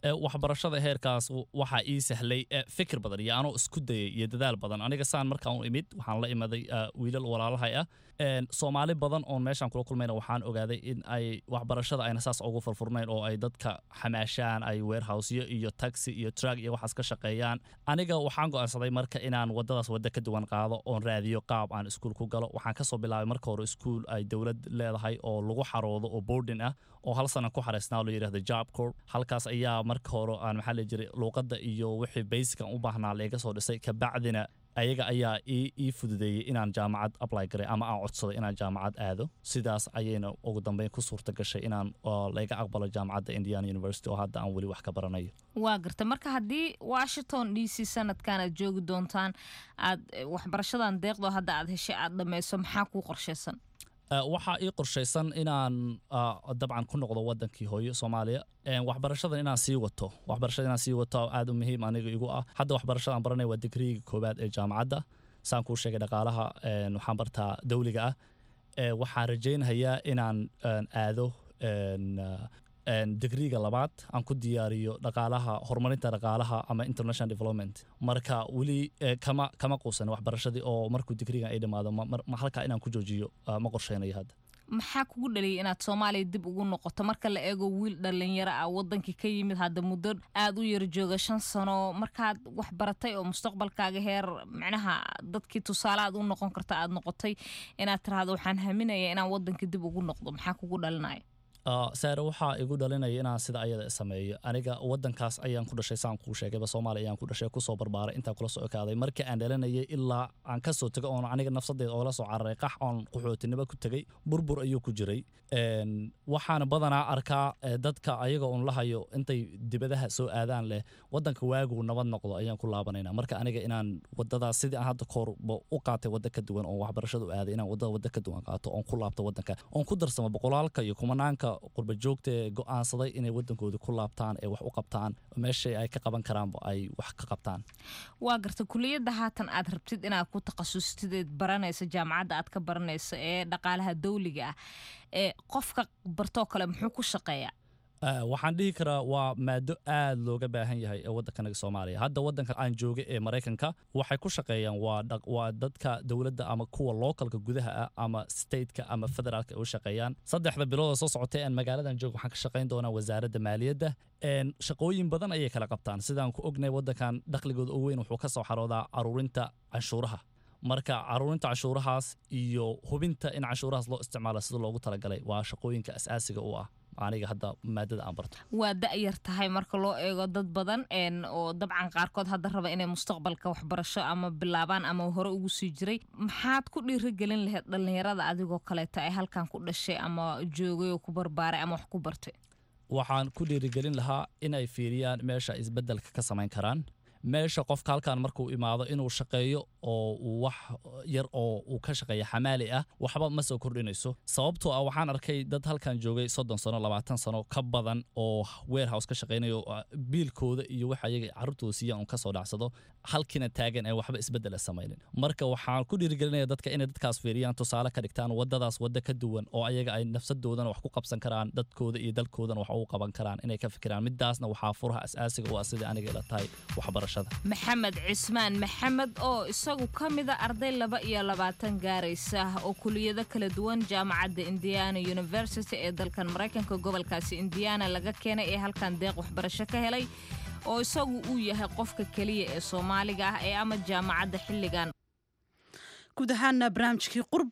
Waxbarashada heerkaas waxaa ii sahlay fikir badan iyo anoo isku dayay iyo dadaal badan. Aniga saan markaan u imid, waxaan la imaday wiilal walaalahay ah, Soomaali badan oon meeshaan kula kulmayna. Waxaan ogaaday in ay waxbarashada ayna saas ugu furfurnayn oo ay dadka xamaashaan, ay warehouseyo iyo taxi iyo truck iyo waxaas ka shaqeeyaan. Aniga waxaan go'aansaday marka inaan waddadaas waddo ka duwan qaado oon raadiyo qaab aan iskuul ku galo. Waxaan kasoo bilaabay marka hore iskuul ay dowlad leedahay oo lagu xaroodo oo boarding ah oo hal sana ku xareysnaa, loo yidhahdo Job Corps. Halkaas ayaa marka hore aan, maxaa la jiray, luuqadda iyo wixii basic aan u baahnaa layga soo dhisay. Kabacdina ayaga ayaa ii ii fududeeyey inaan jaamacad apply garay ama aan codsaday inaan jaamacad aado. Sidaas ayayna ugu dambeyn ku suurta gashay inaan layga aqbalo jaamacadda Indiana University oo hadda aan weli wax ka baranayo. Waa garta. Marka haddii Washington D C sanadkan aad joogi doontaan, aad waxbarashadan deeqdo hadda aad heshay aad dhammayso, maxaa kuu qorshaysan? Waxaa ii qorshaysan inaan dabcan ku noqdo wadankii hooyo, Soomaaliya. Waxbarashadan inaan sii wato, waxbarashada inaan sii wato aad u muhiim aniga igu ah. Hadda waxbarashada aan baranaya waa digriiga koowaad ee jaamacadda. Saan kuu sheegay, dhaqaalaha waxaan bartaa dowliga ah. Waxaan rajaynayaa inaan aado digriiga labaad, aan ku diyaariyo dhaqaalaha, horumarinta dhaqaalaha ama international development. Marka weli kama kama quusan waxbarashadii, oo markuu digriigan ay dhammaado ma halkaa inaan ku joojiyo ma qorsheynayo hadda. Maxaa kugu dhaliyay inaad Soomaaliya dib ugu noqoto, marka la eego wiil dhalinyaro ah wadankii ka yimid, hadda muddo aada u yar jooga, shan sano, markaad wax baratay oo mustaqbalkaaga heer macnaha dadkii tusaale aad u noqon karta aad noqotay, inaad tiraahdo waxaan haminaya inaan wadankii dib ugu noqdo? Maxaa kugu dhalinaya? Saare, waxaa igu dhalinaya inaan sida ayada sameeyo. Aniga wadankaas ayaan ku dhashay, saan kuu sheegayba, Soomaaliya ayaan ku dhashay, kusoo barbaaray, intaan kula soo ekaaday. Markii aan dhalinayay ilaa aan kasoo tegay oon aniga nafsadeeda oola soo cararay qax oon qaxootinimo ku tegay, burbur ayuu ku jiray. Waxaana badanaa arkaa dadka ayaga oon la hayo intay dibadaha soo aadaan leh, wadanka waaguu nabad noqdo ayaan ku laabanayna. Marka aniga inaan wadadaas sidii aan hadda koorba u qaatay wadda ka duwan oon waxbarashada u aaday, inaan wadada wadda ka duwan qaato oon ku laabto wadanka, oon ku darsamo boqolaalka iyo kumanaanka qurba joogta ee go'aansaday inay wadankooda ku laabtaan ee wax u qabtaan, meeshay ay ka qaban karaanba ay wax ka qabtaan. Waa garta. Kuliyadda haatan aad rabtid inaad ku takhasustid eed baranaysa, jaamacadda aad ka baranaysa ee dhaqaalaha dawliga ah, ee qofka bartoo kale muxuu ku shaqeeyaa? Waxaan dhihi karaa waa maado aad looga baahan yahay ee waddankanaga Soomaaliya. Hadda waddanka aan jooga ee Maraykanka waxay ku shaqeeyaan waa waa dadka dowladda ama kuwa localka gudaha ah ama stateka ama federaalka ay u shaqeeyaan. Saddexda bilood oo soo socotay aan magaaladan joogo waxaan ka shaqayn doonaa wasaaradda maaliyadda. Shaqooyin badan ayay kala qabtaan. Sidaan ku ognahay, waddankan dakhligooda ugu weyn wuxuu ka soo xaroodaa aruurinta canshuuraha. Marka caruurinta canshuurahaas iyo hubinta in canshuurahaas loo isticmaalo sida loogu talagalay waa shaqooyinka asaasiga u ah aniga hadda maadada aan barto. Waa da-yar tahay marka loo eego dad badan oo dabcan qaarkood hadda raba inay mustaqbalka waxbarasho ama bilaabaan ama hore ugu sii jiray. Maxaad ku dhiirigelin lahayd dhalinyarada adigoo kaleeta ay halkan ku dhashay ama joogay oo ku barbaaray ama wax ku bartay? Waxaan ku dhiirigelin lahaa inay fiiriyaan meesha isbeddelka ka samayn karaan. Meesha qofka halkan markuu imaado inuu shaqeeyo oo uu wax yar oo uu ka shaqeeya xamaali ah waxba ma soo kordhinayso, sababtoo ah waxaan arkay dad halkan joogay soddon sano, labaatan sano ka badan oo warehouse ka shaqeynayo, biilkooda iyo waxa ayaga carruurtooda siiyaan un kasoo dhacsado, halkiina taagan ee waxba isbeddela samaynin. Marka waxaan ku dhiirigelinaya dadka inay dadkaas fiiriyaan, tusaale ka dhigtaan, waddadaas wadda ka duwan oo ayaga ay nafsadoodana wax ku qabsan karaan, dadkooda iyo dalkoodana wax ugu qaban karaan inay ka fikiraan. Midaasna waxaa furaha asaasiga u ah, sidai aniga ila tahay, waxbarasho. waxbarashada. Maxamed Cismaan Maxamed oo isagu ka mida arday laba iyo labaatan gaaraysa oo kuliyado kala duwan jaamacadda Indiana University ee dalkan Maraykanka, gobolkaasi Indiana laga keenay ee halkan deeq waxbarasho ka helay, oo isagu uu yahay qofka keliya ee Soomaaliga ah ee ama jaamacadda xilligan Guud ahaana barnaamijkii Qurbe